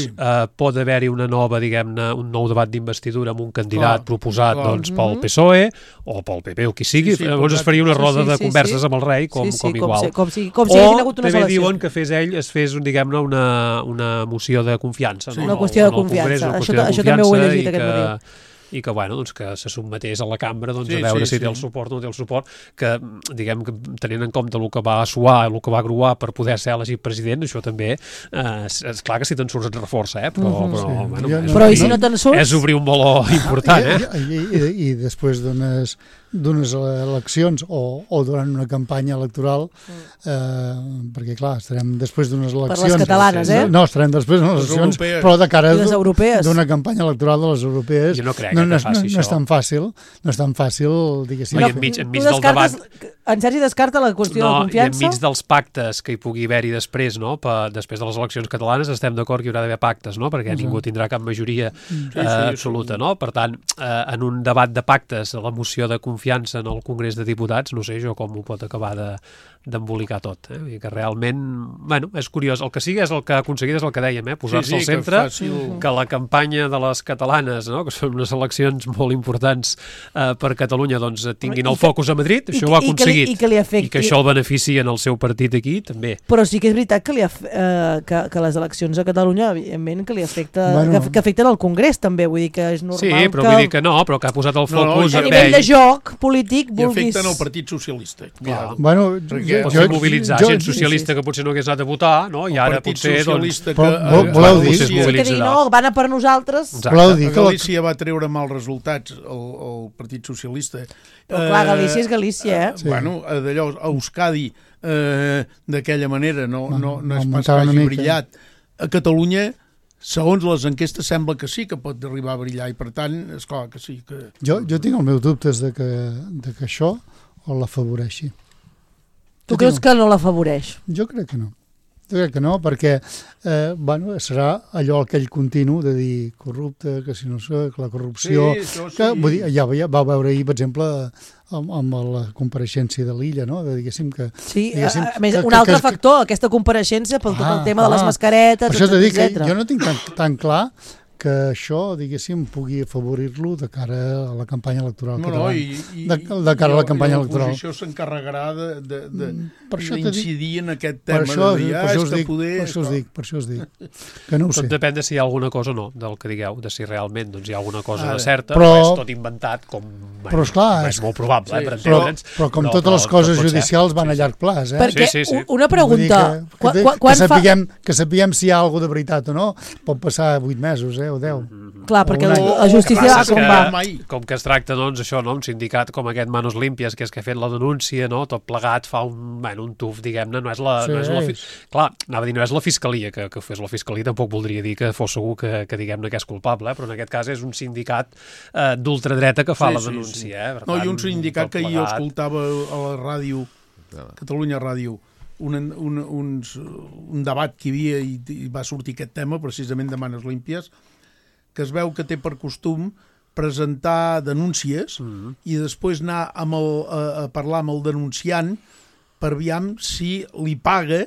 pot haver-hi una nova, diguem-ne, un nou debat d'investidura amb un candidat proposat pel PSOE o pel PP o qui sigui. Llavors es faria una roda de converses amb el rei com igual. Com si haguessin hagut unes eleccions. O també diuen que es fes diguem-ne, una moció de confiança. Una qüestió de confiança. Això també ho he llegit aquest matí. I que, bueno, doncs, que se sotmetés a la cambra a veure si té el suport o no té el suport, que, diguem, que tenint en compte el que va suar, el que va gruar per poder ser elegit president, això també, és clar que si te'n surts et reforça, però i si no te'n surts? És obrir un meló important, I després d'unes eleccions o durant una campanya electoral, perquè, clar, estarem després d'unes eleccions... Per les catalanes, No, estarem després d'unes eleccions, però de cara d'una campanya electoral de les europees. Jo no crec que faci això. No és tan fàcil, diguéssim. Enmig del debat... En Sergi descarta la qüestió de confiança? I enmig dels pactes que hi pugui haver-hi després, no? Després de les eleccions catalanes estem d'acord que hi haurà d'haver pactes, no? Perquè ningú tindrà cap majoria absoluta, no? Per tant, en un debat de pactes, la moció de confiança en el Congrés de Diputats, no sé jo com ho pot acabar d'embolicar tot. I que realment, bueno, és curiós. El que sigui és el que ha aconseguit, és el que dèiem, posar-se al centre, que la campanya de les catalanes, no? Que són unes eleccions molt importants per Catalunya, doncs tinguin el focus a Madrid, això ho ha aconseguit. I que això el beneficia en el seu partit aquí, també. Però sí que és veritat que les eleccions a Catalunya, evidentment, que afecten el Congrés, també. Vull dir que és normal que... Sí, però vull dir que no, però que ha posat el focus a nivell de joc polític, vulguis... I afecten el Partit Socialista. Bueno, potser mobilitzar gent socialista que potser no hagués anat a votar, no? I ara potser... Voleu dir? No, van a per nosaltres. Voleu dir que Galícia va treure mals resultats, el Partit Socialista. Però clar, Galícia és Galícia, Bueno, d'allò, Euskadi d'aquella manera no és pas que hagi brillat. A Catalunya, segons les enquestes, sembla que sí que pot arribar a brillar i per tant, esclar que sí que... Jo tinc els meus dubtes de que això o l'afavoreixi. Tu creus que no l'afavoreix? Jo crec que no. Jo crec que no, perquè serà allò aquell continu de dir corrupte, que si no sé, que la corrupció... Que, vull dir, ja va veure ahir, per exemple, amb la compareixença de l'Illa, no? Diguéssim que... Sí, a més, un altre factor, aquesta compareixença pel tot el tema de les mascaretes, per això t'he dit que jo no tinc tan clar que això, diguéssim, pugui afavorir-lo de cara a la campanya electoral catalana. De cara a la campanya electoral. L'oposició s'encarregarà d'incidir en aquest tema. Per això us dic. Que no ho sé. Tot depèn de si hi ha alguna cosa o no, del que digueu, de si realment hi ha alguna cosa de certa, no és tot inventat, com és molt probable, per entendre'ns. Però com totes les coses judicials van a llarg plaç. Perquè, una pregunta... Que sapiguem si hi ha alguna de veritat o no, pot passar 8 mesos, o 10. Clar, perquè la justícia com va... Com que es tracta, doncs, això, no? Un sindicat com aquest Manos Limpias, que és que ha fet la denúncia, no? Tot plegat fa un tuf, diguem-ne, no és la... Clar, anava a dir, no és la fiscalia, que fes la fiscalia, tampoc voldria dir que fos segur que diguem-ne que és culpable, però en aquest cas és un sindicat d'ultradreta que fa la denúncia. No, i un sindicat que jo escoltava a la ràdio, Catalunya Ràdio, un debat que hi havia i va sortir aquest tema precisament de Manos Limpias, que es veu que té per costum presentar denúncies i després anar a parlar amb el denunciant per aviam si li paga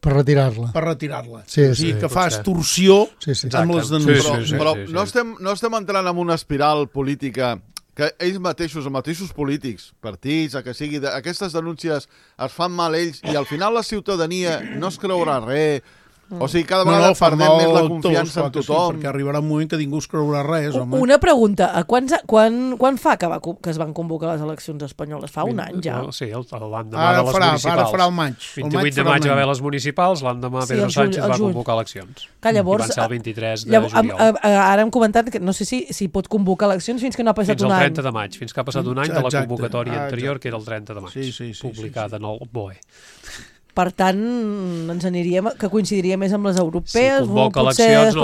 per retirar-la. O sigui, que fa extorsió amb les denúncies. Però no estem entrant en una espiral política que ells mateixos, els mateixos polítics, partits, que sigui, aquestes denúncies es fan mal ells i al final la ciutadania no es creurà res. O sigui, cada vegada perdem més la confiança en tothom. Perquè arribarà un moment que ningú es creurà res, home. Una pregunta, quan fa que es van convocar les eleccions espanyoles? Fa un any ja? Sí, l'endemà de les municipals. Ara farà el maig. 28 de maig va haver les municipals, l'endemà Pedro Sánchez va convocar eleccions. I van ser el 23 de juliol. Ara hem comentat que no sé si pot convocar eleccions fins que no ha passat un any. Fins al 30 de maig, fins que ha passat un any de la convocatòria anterior, que era el 30 de maig, publicada en el BOE. Per tant, ens aniríem, que coincidiria més amb les europees, si convoca eleccions,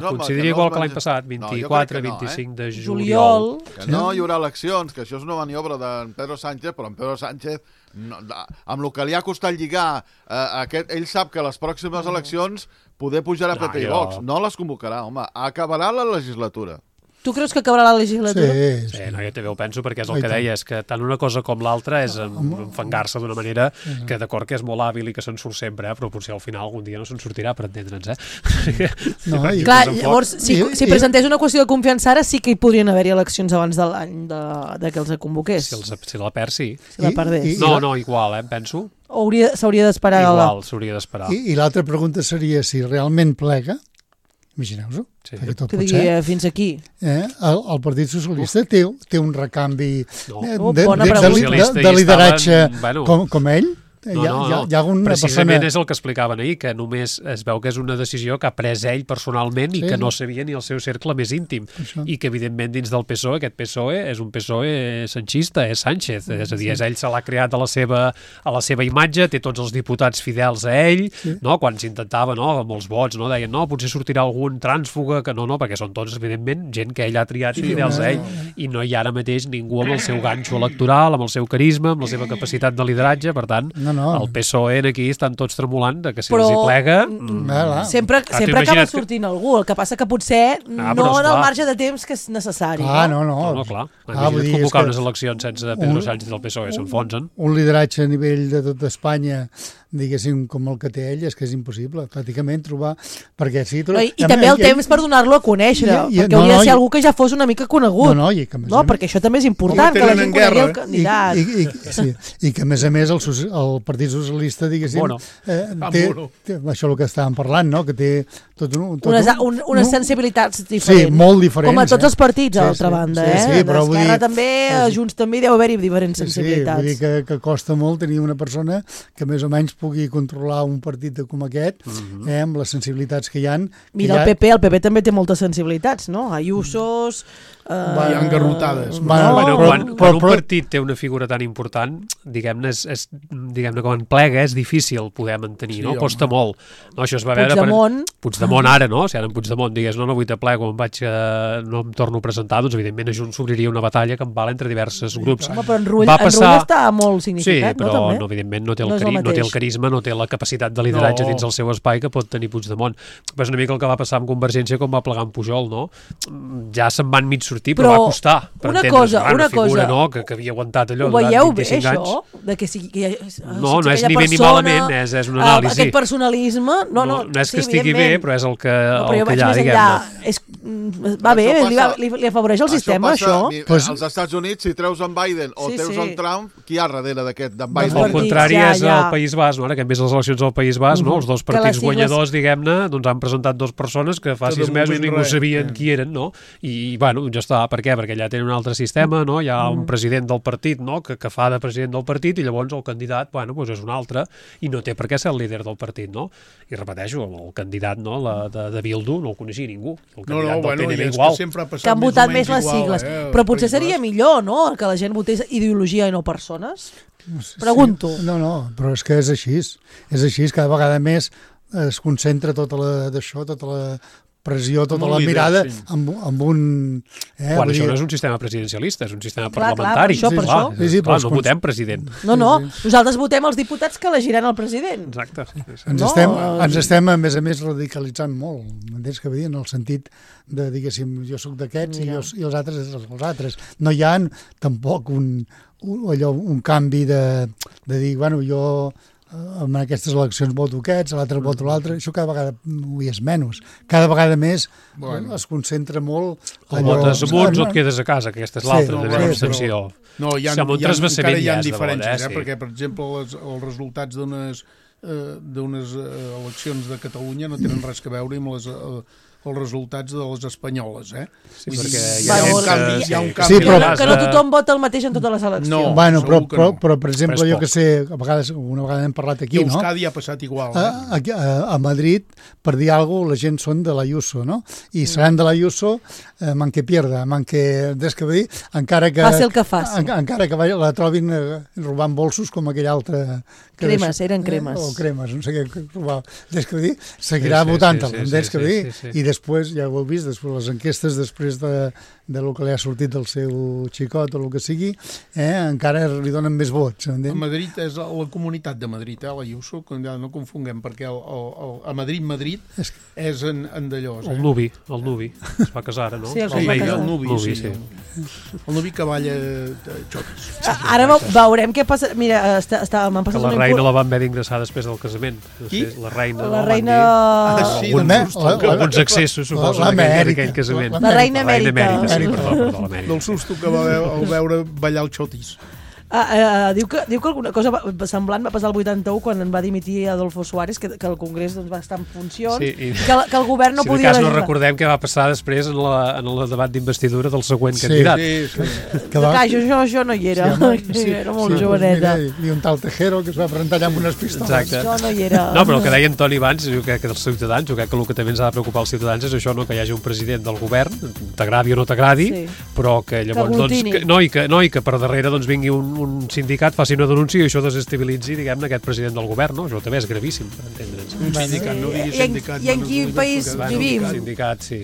coincidiria igual que l'any passat, 24, 25 de juliol. Que no hi haurà eleccions, que això és una maniobra d'en Pedro Sánchez, però en Pedro Sánchez, amb el que li ha costat lligar, ell sap que les pròximes eleccions poder pujar a PP i Vox. No les convocarà, home, acabarà la legislatura. Tu creus que acabarà la legislatura? Sí, no, jo també ho penso, perquè és el que deia, és que tant una cosa com l'altra és enfangar-se d'una manera que d'acord que és molt hàbil i que se'n surt sempre, però potser al final algun dia no se'n sortirà, per entendre'ns, Clar, llavors, si presentés una qüestió de confiança ara, sí que hi podrien haver-hi eleccions abans de l'any de que els convoqués. Si la perd, sí. Si la perdés. No, igual, penso. S'hauria d'esperar. Igual, s'hauria d'esperar. I l'altra pregunta seria si realment plega, imagineu-vos-ho, que digui fins aquí. El Partit Socialista té un recanvi de lideratge com ell? Hi ha alguna precisament persona... és el que explicaven ahir, que només es veu que és una decisió que ha pres ell personalment i que no sabia ni el seu cercle més íntim. I que, evidentment, dins del PSOE, aquest PSOE és un PSOE sanchista, és Sánchez. És a dir, ell se l'ha creat a la seva imatge, té tots els diputats fidels a ell, quan s'intentava, amb els vots, deien, potser sortirà algun trànsfuga, que no, perquè són tots, evidentment, gent que ell ha triat i fidels a ell. I no hi ha ara mateix ningú amb el seu ganxo electoral, amb el seu carisma, amb la seva capacitat de lideratge, per tant, el PSOE aquí estan tots tremolant que si els hi plega... Sempre acaba sortint algú, el que passa que potser no en el marge de temps que és necessari. No. Clar. Imagina't convocar unes eleccions sense Pedro Sánchez del PSOE, s'enfonsen. Un lideratge a nivell de tot Espanya, diguéssim, com el que té ell, és que és impossible, pràcticament, trobar... I també el temps per donar-lo a conèixer, perquè hauria de ser algú que ja fos una mica conegut. No, perquè això també és important, que la gent conegui el candidat. I que, a més, el Partit Socialista, diguéssim, té això el que estàvem parlant, que té unes sensibilitats diferents. Sí, molt diferents. Com a tots els partits, a l'altra banda. D'Esquerra també, a Junts també deu haver-hi diferents sensibilitats. Sí, vull dir que costa molt tenir una persona que més o menys pugui controlar un partit com aquest, amb les sensibilitats que hi ha. Mira, el PP també té moltes sensibilitats, no? Ayusos... Hi ha engarrotades. Quan un partit té una figura tan important, diguem-ne, quan plega és difícil poder mantenir, no? Costa molt. Això es va veure... Puigdemont ara, no? Si ara en Puigdemont digués no vull te plego, no em torno a presentar, doncs evidentment a Junts s'obriria una batalla que em val entre diversos grups. Home, però en Rull està molt significat, no? Sí, però evidentment no té el valencianisme no té la capacitat de lideratge dins el seu espai que pot tenir Puigdemont. És una mica el que va passar amb Convergència com va plegar amb Pujol, no? Ja se'n van mig sortir, però va costar. Per entendre's, una figura que havia aguantat allò durant 25 anys. Ho veieu bé, això? De que sigui, no és ni bé ni malament, és una anàlisi. Aquest personalisme... No és que estigui bé, però és el que hi ha, diguem-ne. Va bé, li afavoreix el sistema, això? Als Estats Units, si treus en Biden o treus en Trump, qui hi ha darrere d'aquest d'en Biden? El contrari és el País Basc, ara que hem vist les eleccions al País Basc, els dos partits guanyadors, diguem-ne, doncs han presentat dues persones que fa 6 mesos ningú sabien qui eren, no? I, bueno, ja està. Per què? Perquè allà tenen un altre sistema, no? Hi ha un president del partit, no?, que fa de president del partit i llavors el candidat, bueno, doncs és un altre i no té per què ser el líder del partit, no? I repeteixo, el candidat, no?, de Bildu no el coneixia ningú. El candidat del PNV igual. Que han votat més les sigles. Però potser seria millor, no?, que la gent votés ideologia i no persones? Pregunto. No, però és que és així. És així, cada vegada més es concentra tota la pressió, tota la mirada amb un... Quan això no és un sistema presidencialista, és un sistema parlamentari. Per això. No votem president. No, nosaltres votem els diputats que elegiran el president. Exacte. Ens estem, a més, radicalitzant molt, m'entens què vull dir? En el sentit de, diguéssim, jo sóc d'aquests i els altres els altres. No hi ha tampoc un canvi de dir, bueno, jo... en aquestes eleccions voto aquests, a l'altre voto l'altre, això cada vegada ho és menys. Cada vegada més es concentra molt... O votes amb uns o et quedes a casa, que aquesta és l'altra, de l'abstenció. No, encara hi ha diferències, perquè, per exemple, els resultats d'unes eleccions de Catalunya no tenen res a veure amb els resultats de les espanyoles, Sí, perquè hi ha un canvi. Que no tothom vota el mateix en totes les eleccions. No, bueno, però per exemple, jo que sé, una vegada hem parlat aquí, no? I Euskadi ha passat igual. A Madrid, per dir alguna cosa, la gent són de l'Ayuso, no? I seran de l'Ayuso, man que pierda, man que... Des que vull dir, encara que... Faci el que faci. Encara que la trobin robant bolsos com aquell altre... Cremes, eren cremes. O cremes, no sé què robava. Des que vull dir, seguirà votant-el, des que vull dir, i després, ja ho heu vist, després les enquestes, després de lo que li ha sortit del seu xicot o el que sigui, encara li donen més vots. A Madrid és la Comunitat de Madrid, l'Ayuso, no confonguem, perquè a Madrid és en Dallós. El Nubi es va casar ara, no? Sí, el Nubi, sí. El Nubi que balla xotis. Ara veurem què passa. Mira, m'han passat la reina la van haver d'ingressar després del casament. Qui? La reina... Alguns accessos, suposo, d'aquell casament. La reina emèrita. Perdó, del susto que va veure ballar el xotis. Diu que alguna cosa semblant va passar el 81 quan en va dimitir Adolfo Suárez, que el Congrés va estar en funcions, que el govern no podia... Si de cas no recordem què va passar després en el debat d'investidura del següent candidat. Jo no hi era, era molt joveneta. I un tal Tejero que es va presentar allà amb unes pistoles. Jo no hi era. No, però el que deia Antoni abans, jo crec que dels ciutadans, jo crec que el que també ens ha de preocupar els ciutadans és això, que hi hagi un president del govern, t'agradi o no t'agradi, però que llavors, i que per darrere vingui un sindicat faci una denúncia i això desestabilitzi, diguem-ne, aquest president del govern, no? Això també és gravíssim, per entendre'ns. Un sindicat, no diguis sindicat. I en quin país vivim? Sindicat, sí.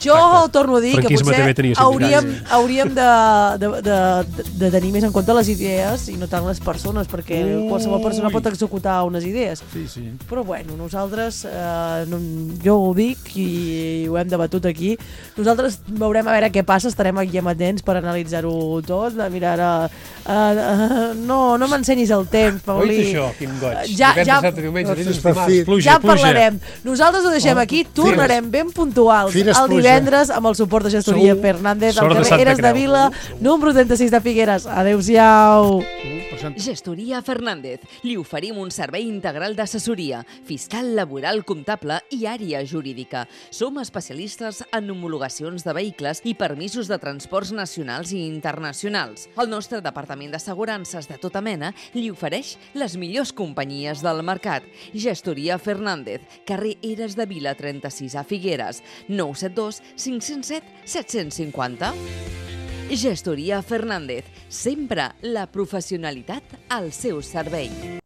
Jo torno a dir que potser hauríem de tenir més en compte les idees i no tant les persones, perquè qualsevol persona pot executar unes idees. Sí. Però bueno, nosaltres, jo ho dic i ho hem debatut aquí, nosaltres veurem a veure què passa, estarem aquí amatents per analitzar-ho tot, de mirar no m'ensenyis el temps, Paulí. Oita això, quin goig. Ja parlarem. Nosaltres ho deixem aquí, tornarem ben puntuals el divendres amb el suport de Gestoria Fernández, al carrer Eres de Vila, número 36 de Figueres. Adéu-siau. Gestoria Fernández. Li oferim un servei integral d'assessoria, fiscal, laboral, comptable i àrea jurídica. Som especialistes en homologacions de vehicles i permisos de transports nacionals i internacionals. El nostre departament d'assegurances de tota mena li ofereix les millors companyies del mercat. Gestoria Fernández, carrer Eres de Vila 36 a Figueres, 972 507 750. Gestoria Fernández, sempre la professionalitat al seu servei.